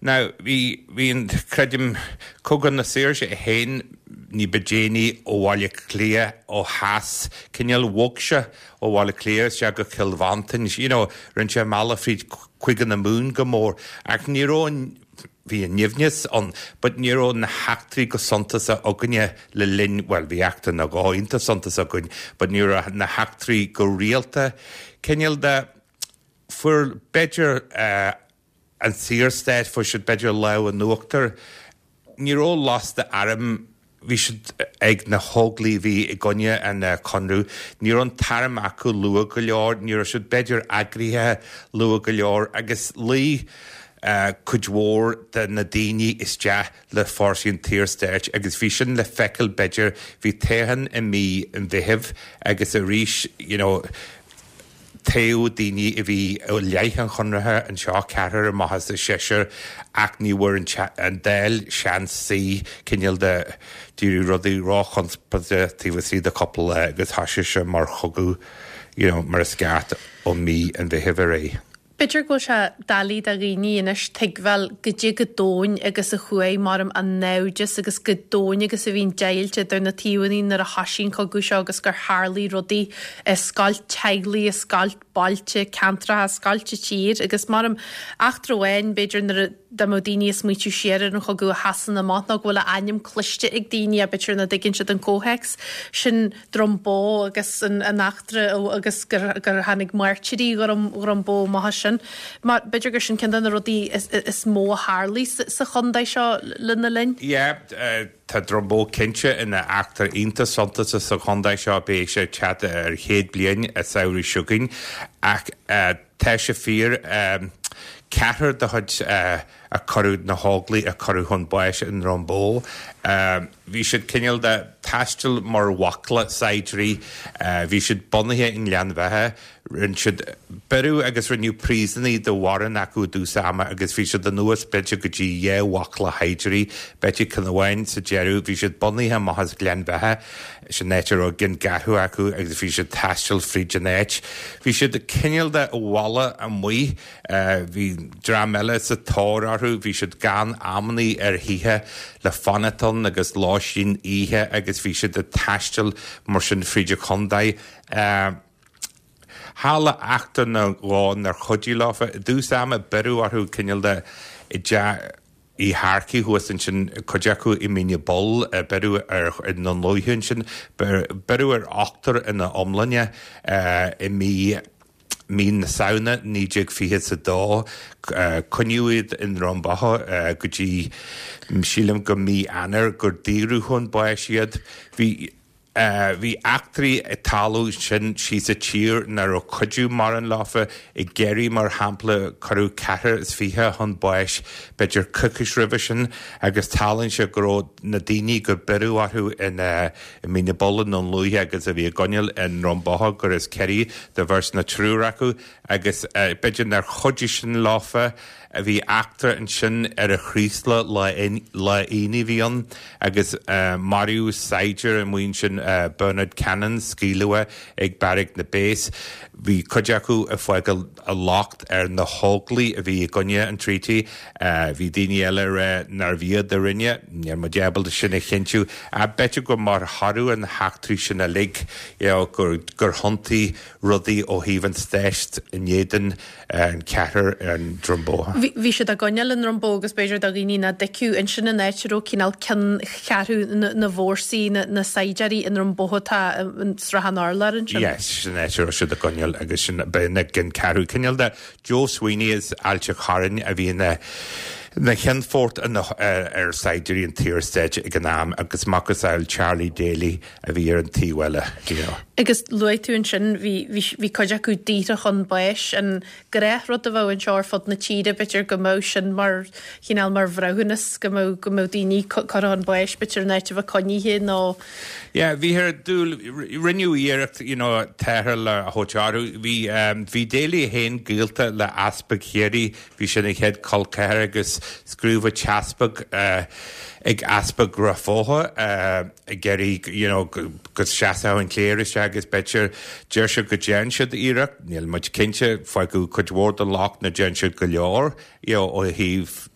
Now, bhí, bhí an, creidim, Cogadh na Saoirse é féin ní ba déanaí ó Bhaile Átha Cliath ó theas, cineál bhog sé ó Bhaile Átha Cliath isteach go Cill Mhantáin, you know, rinne sé an bealach fríd Chúige na Mumhan go mór, ach ní raibh an, bhí an nimhneas ann, but ní raibh na heachtraí go suntasach againne le linn, bhuel, bhí eachtra nó dhó iontach suntasach againn, but ní raibh na heachtraí go rialta. Cineál de, fuair b'fhéidir an Saorstát, fuair siad b'fhéidir lámh in uachtar. Ní raibh lasta airm, bhí siad ag na hÓglaigh a bhí i gcoinne an Conradh, ní raibh an t-arm acu luath go leor, ní raibh siad b'fhéidir eagraithe luath go leor agus luigh cuid mhór de na daoine isteach le fórsaí an tSaorstáit agus bhí sin le feiceáil b'fhéidir, bhí toghchán i mí an Mheithimh agus arís you know, Toghadh daoine a bhí i leith an Chonartha anseo, ceathrar amach as an seisear, ach ní bhfuair an Dáil seans suí, cineál de d'éirigh rudaí róchonspóideach taobh istigh de chúpla lá agus thoisigh sé mar chogadh, you know, mar is ceart ó mí an Mheithimh ar aghaidh. B'fhéidir go bhfuil sé doiligh do dhaoine anois tuigbheáil goidé chomh domhain agus a chuaigh maram an naimhdeas agus chomh domhain agus a bhí an deighilt idir na taobhanna nuair a thoisigh an cogadh seo agus gur tharlaigh rudaí a scoilt teaghlaigh, a scoilt bailte, ceantracha, a scoilt an tír agus maram eachtra amháin b'fhéidir nuair a dá mbeadh daoine ag smaoitiú siar ar an chogadh a sheasann amach nó go bhfuil a ainm cloiste ag daoine ach b'fhéidir nach dtuigeann siad an comhthéacs sin Droim Bó agus an an eachtra agus gur gur tháinig mairtírí Dhroim Dhroim Bó amach as sin. Mar b'fhéidir gur sin ceann de na rudaí is is mó a tharlaigh sa sa chontae seo lena linn. Yeah, tá Droim Bó cinnte ina eachtra iontach suntasach sa chontae seo, beidh sé ag teacht ar chéad bliain an samhradh seo chugainn ach tá sé fíor ceathrar de chuid a cuireadh, na hÓglaigh a cuireadh chun báis i nDroim Bó, bhí siad cineál de taisteal mar bhaicle saighdiúirí, bhí siad bunaithe i nGleann Bheatha, rinne siad, beireadh agus rinneadh príosúnaigh de mhórán acu i dtús ama agus bhí siad anuas b'fhéidir go dtí dhá bhaicle shaighdiúirí, b'fhéidir ceann amháin sa deireadh, bhí siad bunaithe amach as Gleann Bheatha, sin áit a raibh gceanncheathrú acu agus bhí siad taisteal fríd an áit. Bhí siad cineál de i bhfolach amuigh, bhí dream eile sa tóir orthu, bhí siad gann amannaí ar thithe le fanacht ann agus lóistín oíche agus bhí siad ag taisteal mar sin fríd an chontae. Tharla eachtra nó dhó nár chuidigh leofa. I dtús ama beireadh orthu cineál de i dteach Uí Shearcaigh thuas ansin, cuid acu i Mín na bPoll, beireadh ar i nDún Lúiche ansin, beireadh ar ochtar ina iomláine i mí mí na Samhna naoi déag fiche is a dó. Coinníodh iad i nDroim Bó go dtí, sílim, go mí Eanáir gur daoradh chun báis iad. Bhí. Bhí eachtraí ag tarlú ansin síos sa tír nach raibh cuidiú mórán leofa. I gCiarraí, mar shampla, cuireadh ceathrar is fiche chun báis b'fhéidir coicís roimhe sin agus tarlaíonn sé go raibh na daoine gur beireadh orthu i Mín na bPoll i nDún Lúiche agus a bhí á gcoinneáil i nDroim Bó gur as Ciarraí do bheirt nó triúr acu agus b'fhéidir nár chuidigh sin leofa. Bhí eachtra ansin ar an Chraoslach lá Aoine a bhí ann agus maraíodh saighdiúir amuigh ansin, Bernard Cannon, scaoileadh é ag beairic na bpéas. Bhí cuid acu ag fágáil a locht ar na hÓglaigh a bhí i gcoinne an Treaty. Bhí daoine eile ag rá nárbh iad a rinne, níl muid ábalta sin a chinntiú. Ach b'fhéidir gur mar thoradh ar na heachtraí sin uilig gur thiontaigh rudaí ó thaobh an stáit in éadan an ceathrar i nDroim Bó. Bhí siad á gcoinneáil i nDroim Bó agus b'fhéidir do dhaoine nach dtuigfeadh, ansin an áit a raibh cineál ceanncheathrú na bhfórsaí, na saighdiúirí i nDroim Bó atá i Srath an Urláir ansin. Yes, sin an áit a raibh siad á gcoinneáil agus sin b'in a gceanncheathrú. Cineál de Joe Sweeney as Ailt an Chorráin a bhí ina ina cheannfort ar saighdiúirí an tSaorstáit ag an am agus macasamhail Charlie Daly a bhí ar an taobh eile, you know. Agus luaigh tú ansin, bhí, bhí, bhí cuid acu daortha chun báis, an gnáthrud a bheadh anseo ar fud na tíre, b'fhéidir go mbeadh sin mar chineál, mar bhreithiúnas, go mbeadh, go mbeadh daoine curtha chun báis, b'fhéidir in áit a bheith coinnithe nó. Yeah, bhíthear ag dúil, rinneadh iarracht, you know, tarrtháil a thabhairt orthu. Bhí, bhí Daly féin gaolta le Easpag Chiarraí, bhí sé ina chéad chol ceathar agus scríobhadh teaspag ag Easpag Ráth Bhoth ag iarraidh, you know, go seasfadh an chléir isteach agus b'fhéidir, deir siad go dtearn siad iarracht, níl muid cinnte, fágadh cuid mhór den locht nach dtearn siad go leor, you know, ó thaobh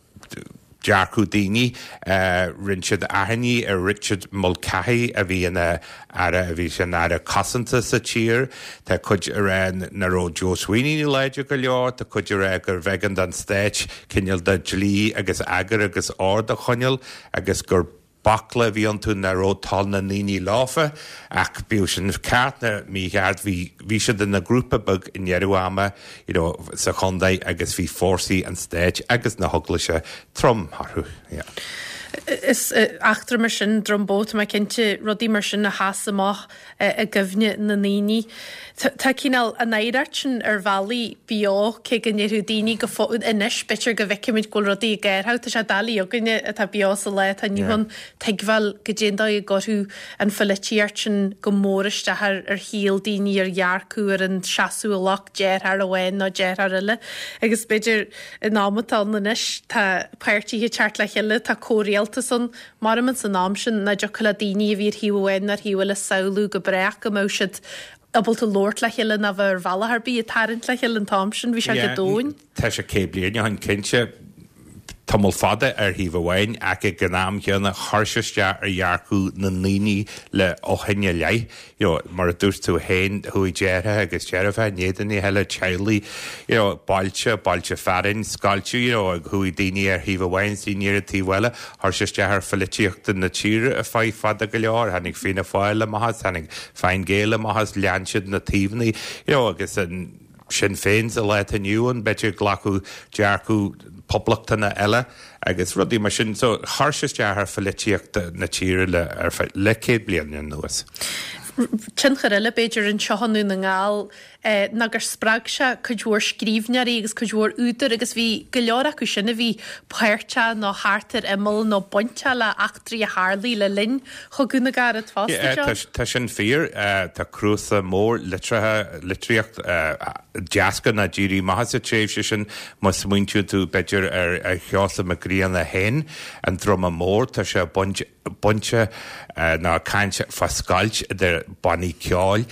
dearcadh daoine. Rinne siad achainí ar Richard Mulcahy a bhí ina aire, a bhí sé ina aire cosanta sa tír. Tá cuid ag rá nach raibh Joe Sweeney láidir go leor, tá cuid ag rá gurbh éigean don stát cineál de dlí agus eagar agus ord a choinneáil agus gur baicle a bhí iontu nach raibh toil na ndaoine leofa ach bíodh sin ceart nó mícheart bhí bhí siad ina ngrúpa beag i ndeireadh ama you know sa chontae agus bhí fórsaí an stáit agus na heaglaise trom orthu yeah. Is eachtra mar sin, Droim Bó, tá mé cinnte, rudaí mar sin a sheas amach i gcuimhne na ndaoine. Tá cineál an oidhreacht sin ar bhealaí beo, cé go ndéarfadh daoine go fóill anois, b'fhéidir go bhfeicimid go bhfuil rudaí ag athrú, tá sé doiligh againne atá beo sa lá atá inniu ann tuigbheáil goidé an dóigh a gcuirfeadh an pholaitíocht sin go mór isteach ar ar shaol daoine, ar dhearcadh, ar an seasamh a ghlac deartháir amháin nó deartháir eile. Agus b'fhéidir in am atá ann anois tá páirtithe ag teacht le chéile, tá comhrialtas ann, Maram ins an am sin nach dtiocfadh le daoine a bhí ar thaobh amháin nó ar thaobh eile samhlú go brách go mbeadh siad ábalta labhairt le chéile ná bheith ar bhealach ar bith ag tarraingt le chéile an t-am sin. Bhí sé go domhain. Tá sé céad bliain ó shin cinnte, tamall fada ar thaobh amháin ach ag an am chéanna chuir sé isteach ar dhearcadh na ndaoine le ó shin i leith. You know, mar a dúirt tú féin, chuaigh deartháireacha agus deirfiúracha in éadan a chéile, teaghlaigh, you know, bailte, bailte fearainn, scoilte, you know, chuaigh daoine ar thaobh amháin is daoine ar an taobh eile. Chuir sé isteach ar pholaitíocht na tíre ar feadh fada go leor. Tháinig Fianna Fáil amach as, tháinig Fine Gael amach as, lean siad na taobhanna, you know, agus an Sinn Féin sa lá atá inniu ann, b'fhéidir glacadh dearcadh poblachtánach eile agus rudaí mar sin. So chuir sé isteach ar pholaitíocht na tíre le ar feadh le céad bliain anuas. Tionchar eile, b'fhéidir, anseo i nDún na nGall ná gur spreag sé cuid mhór scríbhneoirí agus cuid mhór údar agus bhí go leor acu sin a bhí páirteach nó thart ar imeall nó bainteach le heachtraí a tharlaigh le linn Chogadh na gCarad fosta, John. Tá sin fíor. Tá cnuasach mór litrithe, litríocht d'eascair nó d'éirigh amach as an tréimhse sin. Má smaointíonn tú, b'fhéidir, ar Sheosamh Mac Grianna féin, An Druma Mór, tá sé bainte nó ag caint fá scoilt idir bannaí ceoil,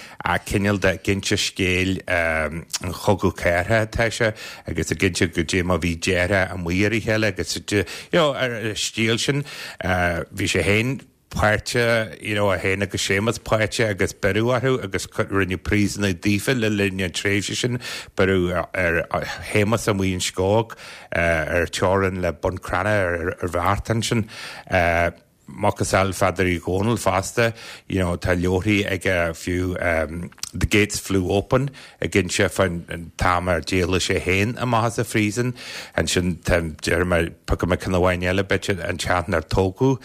cineál de ag inse scéil an Chogadh Cathartha atá sé agus ag inse goidé mar bhí deartháireacha amuigh ar a chéile agus you know ar an stíl sin. Bhí sé féin páirteach, you know, é féin agus Séamus páirteach agus beireadh orthu agus rinneadh príosúnaigh daofa le linn an tréimhse sin. Beireadh ar Shéamus amuigh in Sceóg ar teorainn le Bun Cranncha ar an bheart ansin. Macasamhail Pheadair Uí Dhónaill fosta, you know, tá leabharthaí aige fiú The Gates Flew Open ag inse fán t-am ar d'éalaigh sé féin amach as an phríosún. Ansin tá, déarfaidh mé, piocfaidh mé ceann amháin eile, b'fhéidir, An Teach Nár Tógadh,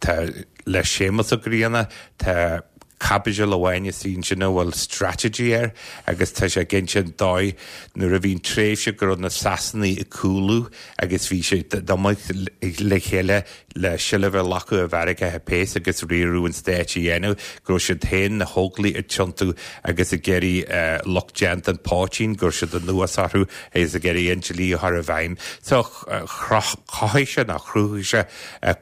tá le Séamus Ó Grianna, tá caibidil amháin istigh ansin a bhfuil Strategy air agus tá sé ag inse an dóigh nuair a bhí an tréimhse go raibh na Sasanaigh ag cúlú agus bhí siad imithe le chéile le seilbh a ghlacadh ar bheairiceacha péas agus riaradh an stáit a dhéanamh, go raibh siad féin, na hÓglaigh, ag tiontú agus ag iarraidh lucht déanta an phoitín, go raibh siad anuas orthu agus ag iarraidh an dlí a chur i bhfeidhm. So chothaigh sé nó chruthaigh sé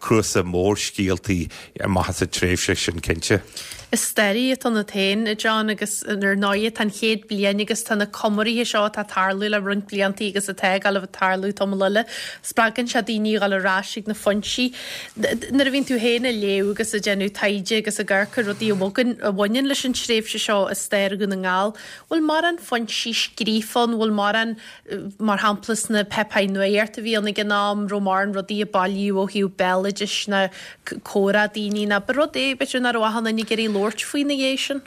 cnuasach mór scéaltaí amach as an tréimhse sin cinnte. Is staraí atá ionat féin, a John, agus ar ndóighe tá an chéad bliain agus tá na comóraithe seo atá ag tarlú le roinnt bliantaí agus atá ag dul a bheith ag tarlú tamall eile. Spreagann sé daoine a dhul ar ais ag na foinsí. Nuair a bhíonn tú féin ag léamh agus ag déanamh taighde agus ag amharc ar rudaí a bhogann, a bhaineann leis an tréimhse seo i stair Dhún na nGall, bhfuil mórán foinsí scríofa ann, bhfuil mórán, mar shampla sna páipéir nuachta a bhí ann ag an am, raibh mórán rudaí a bailíodh ó thaobh béaloidis ná comhrá daoine ná ba rud é b'fhéidir nach raibh achan duine ag iarraidh labhairt faoi ina dhiaidh sin?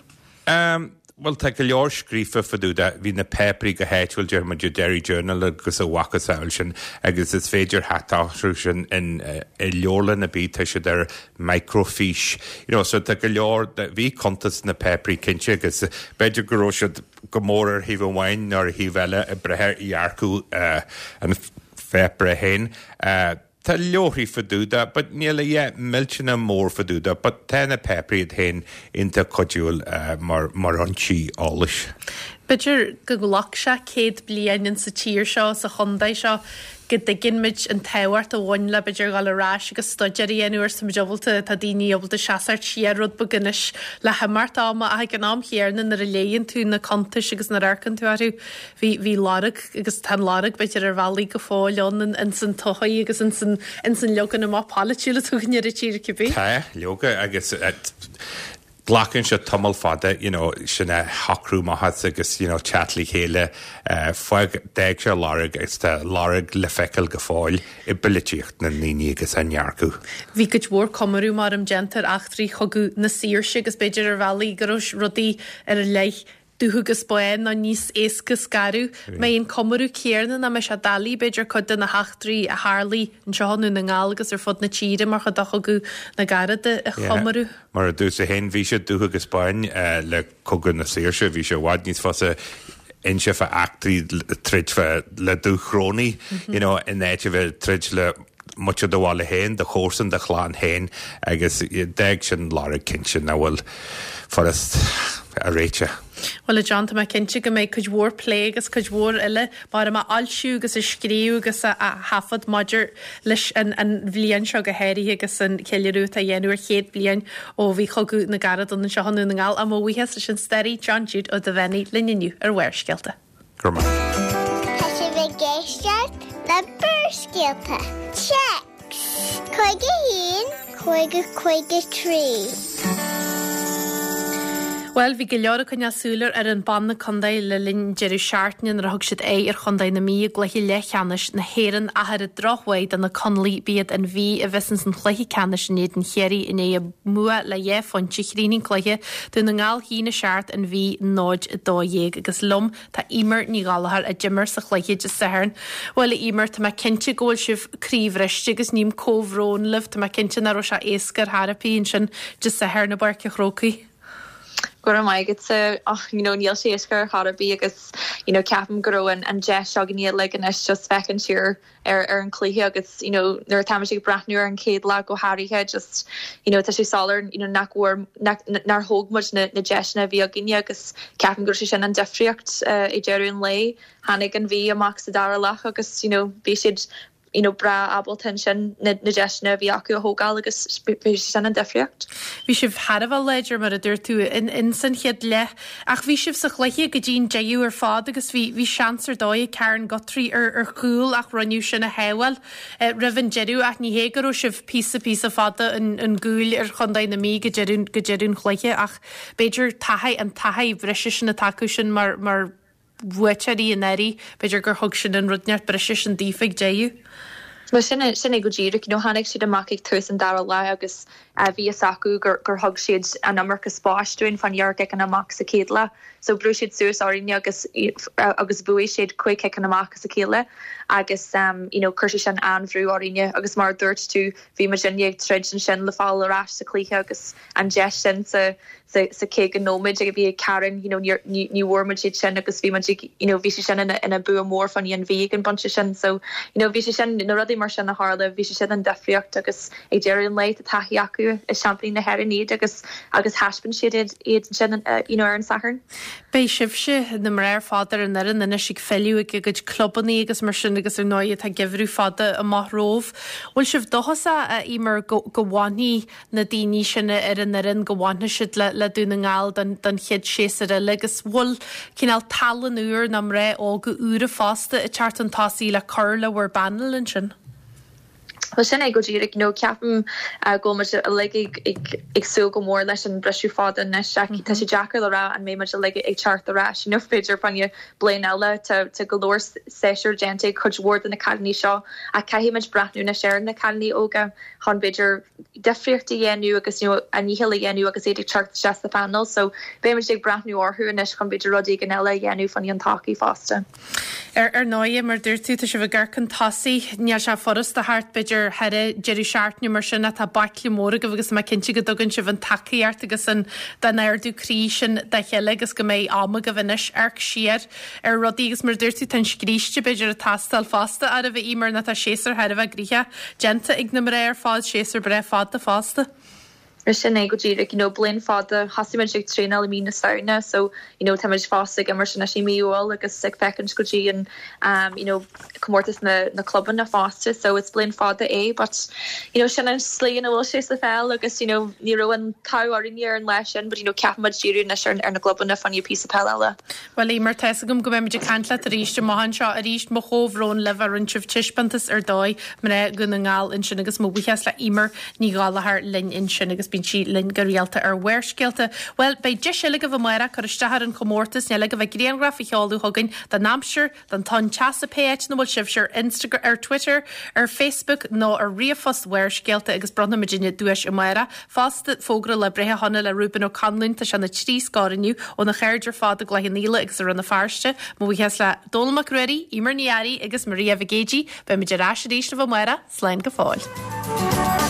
Em, bhuel tá go leor scríofa fá dtaobh de, bhí na páipéirí go háitiúil, déarfaidh muid an Derry Journal agus a mhacasamhail sin agus is féidir theacht orthu sin in, i leabharlann ar bith, tá siad ar microfiche, you know, so tá go leor, bhí cuntas sna páipéirí cinnte agus b'fhéidir go raibh siad go mór ar thaobh amháin nó ar thaobh eile ag brath ar dhearcadh an pháipéir féin. Tá leabharthaí fá dtaobh de, but níl a dhath millteanach mór fá dtaobh de, but tá na páipéirí iad féin iontach cuidiúil mar mar fhoinsí eolais. B'fhéidir go nglac sé céad bliain in sa tír seo, sa chontae seo, go dtuigeann muid an tábhacht a bhain le b'fhéidir dhul ar ais agus staidéar a dhéanamh air, tá muid ábalta, tá daoine ábalta seasamh siar rud beag anois le himeacht ama ach ag an am chéanna nuair a léigheann tú na cuntais agus nuair a amharcann tú orthu bhí, bhí lorg agus tá an lorg b'fhéidir ar bhealaí go fóill ann in, ins an tsochaí agus ins an, ins an leagan amach polaitiúil atá againn ar an tír cibé. Tá, leoga agus Glacann sé tamall fada you know sin a shocrú amach as agus you know teacht le chéile. Fág, d'fhág sé lorg agus tá lorg le feiceáil go fóill i bpolaitíocht na ndaoine agus a ndearcadh. Bhí cuid mhór comóradh mar a déantar eachtraí Chogadh na Saoirse agus b'fhéidir ar bhealaí go raibh rudaí ar leith dubh agus bán nó níos éasca scaradh. Mbeidh an comóradh céanna nó mbeidh sé doiligh b'fhéidir cuid de na heachtraí a tharlaigh anseo i nDún na nGall agus ar fud na tíre mar chuid de Chogadh na gCarad a chomóradh. Mar a dúirt tú féin bhí sé dubh agus bán le Cogadh na Saoirse, bhí sé i bhfad níos fusa inse fá eachtraí troid fá le Dúchrónaigh, you know, in áit a bheith troid le muintir do bhaile féin, do chomharsan, do chlann féin agus d'fhág sin lorg cinnte nach bhfuil furast a réiteach. Bhuel a John, tá mé cinnte go mbeidh cuid mhór plé agus cuid mhór eile mar a fhoilsiú agus a scríobh agus a thaifead maidir leis an an bhliain seo go háirithe agus an ceiliúradh atá á dhéanamh ar chéad bliain ó bhí Cogadh na gCarad ann anseo i nDún na nGall. Á mo bhuíochas leis an staraí John Jude Ó Duibheannaigh linn inniu ar Bharrscéalta. Go raibh maith. Tá sibh ag éisteacht le Barrscéalta. Téacs cúig a haon cúig a cúig a trí. Bhuel, bhí go leor ag coinneáil súil ar fhoireann ban na contae le linn deireadh seachtaine nuair a thug siad aghaidh ar chontae na Mí i gcluiche leathcheannais na hÉireann ach ar an drochuair do na Conallaigh b'iad an Mhí a bheas ins an chluiche ceannais in éadan Chiarraí i ndiaidh a mbua le dhá phointe. Chríochnaigh an cluiche Dún na nGall a haon a seacht an Mhí náid a dó dhéag agus liom tá Eimear Ní Ghallchóir a d'imir sa chluiche Dé Sathairn. Bhuel a Eimear, tá mé cinnte go bhfuil sibh croíbhriste agus ním comhbhrón libh, tá mé cinnte nach raibh sé éasca ar chor ar bith ansin Dé Sathairn i bPáirc an Chrócaigh. Go raibh maith agatsa ach you know níl sé éasca ar chor ar bith agus you know ceapaim go raibh an an deis againne uilig anois just féachaint siar ar ar an cluiche agus you know nuair atá ag breathnú ar an chéad leath go háirithe just you know tá sé soiléir you know nach bhfuair nach nár thóg muid na na deiseanna a bhí againne agus ceapaim go raibh sé sin an difríocht uh, i deireadh an lae tháinig an Mhí amach sa dara leath agus you know bhí siad you know breá ábalta ansin na na deiseanna a bhí acu a thógáil agus bhí sin an difríocht. Bhí sibh thar a bheith láidir mar a dúirt tú in in san chéad leath ach bhí sibh sa chluiche go dtí an deireadh ar fad agus bhí bhí seans ar dóigh ag Karen Guthrie ar ar chúl ach rinneadh sin a shábháil eh, roimh an deireadh ach ní hé go raibh sibh píosa píosa fada an an gcúil ar chontae na Mí go deireadh go deireadh an chluiche ach b'fhéidir taithí an taithí bhreise sin atá acu sin mar mar bhuaiteoirí anuraidh, b'fhéidir gur thug sin an rud neart breise sin daofa ag deireadh. Well sin sin é go díreach you know, tháinig siad amach ag tús an dara leath agus uh, bhí fhios acu gur, gur thug siad an iomarca spáis dúinn fan dhearc amach sa chéad leath. So bhrú siad suas orainne agus agus bhuaigh siad cúig ciceanna amach sa chéile agus um, you know, chuir sé sin an-bhrú orainne agus mar dúirt tú bhí muidinne ag troid ansin le fáil ar ais sa chluiche agus an deis sin sa sa sa caoga nóiméad ag bhí ag Karen you know, ní ní bhfuair muid siad sin agus bhí muid you know, bhí sé sin ina, ina bua mór fan an bhí an bunse sin so you know, bhí sé sin na rudaí mar sin a tharla bhí sé sin an difríocht agus ag deireadh an lae tá taithí acu i seaimpíní na hÉireann iad agus agus thaispeáin siad iad iad sin uh, you know, ar an Satharn. Beidh sibhse na mná ar fad ar an fhoireann anois ag filleadh ag a gcuid clubanna agus mar sin agus ar ndóigh tá geimhreadh fada amach romhaibh. Bhfuil sibh dóchasach a Eimear go, go bhfanfaidh na daoine sin ar an fhoireann go bhfanfaidh siad le, le Dún na nGall don, don chéad séasúr eile agus bhfuil cineál tallann úr na mná óga úra fosta ag teacht chun tosaigh le cur le bhur bpainéal ansin. Well sin é go díreach you know, ceapaim uh, go muid uilig ag, ag, ag súil go mór leis an briseadh fada anois mm -hmm. Tá sé deacair le rá an mbeidh muid uilig ag teacht ar ais you know, b'fhéidir fan bliain eile tá go leor séasúr déanta cuid mhór de na cailíní seo a caithfimid breathnú anois ar na cailíní óga chun b'fhéidir difríocht a dhéanamh agus you know, a ndícheall a dhéanamh agus iad ag teacht isteach sa phainéal, so beimid ag breathnú orthu anois chun b'fhéidir rud éigin eile a dhéanamh fan an todhchaí fosta. Ar ar ndóigh mar dúirt tú tá sibh ag amharc chun tosaigh níl sé furasta thart b'fhéidir thar deireadh seachtaine mar sin atá baicle mór agaibh agus má cinnte go dtugann sibh an tacaíocht agus an den ardú croí sin dá chéile agus go mbeidh am agaibh anois amharc siar ar rudaí agus mar dúirt tú tá an scríste b'fhéidir ag teastáil fosta ar a bheith mar na tá séasúr thar a bheith gnoitheach déanta ag na mná ar fad séasúr breá fada fosta. sin é go díreach you know, bliain fada thosaigh ag traenáil i mí na Samhna so you know, táimid fós ag imirt anois i mí Iúil agus ag féachaint go dtí an um, you know, comórtas na, na clubanna fosta so it's bliain fada é but you know, sin an slí ina bhfuil sé sa pheil agus you know, ní raibh an t-ádh orainn ar an lá sin but you know, ceapaimid díriú anois ar, ar na clubanna fan píosa peil eile. Well mar tá agam go mbeimid ag caint leat arís amach anseo arís mo chomhbhrón libh a rinne sibh taispeántas ar dóigh mná Dhún na nGall ansin agus mo bhuíochas le Eimear Ní Ghallchóir linn ansin agus bíonn sí linn go rialta ar Bharrscéalta. Bhuel, beidh deis eile agaibh amárach cur isteach ar an chomórtas níl agaibh ach grianghraf a sheoladh chugainn den aimsir, den tonn teasa pé áit ina bhfuil sibh ar Instagram, ar Twitter, ar Facebook nó ar ríomhphost Bharrscéalta agus bronnfaimidne duais amárach. Fosta fógra lá breithe shona le Reuben Ó Conluain tá sé na trí scór inniu óna chairde ar fad i gCloich Cheann Fhaola agus i Rann na Feirste, mo bhuíochas le Dónall Mac Ruairí, Emer Ní Fhearraigh agus Maria Mhic Géidigh, beimid ar ais arís libh amárach, slán go fóill.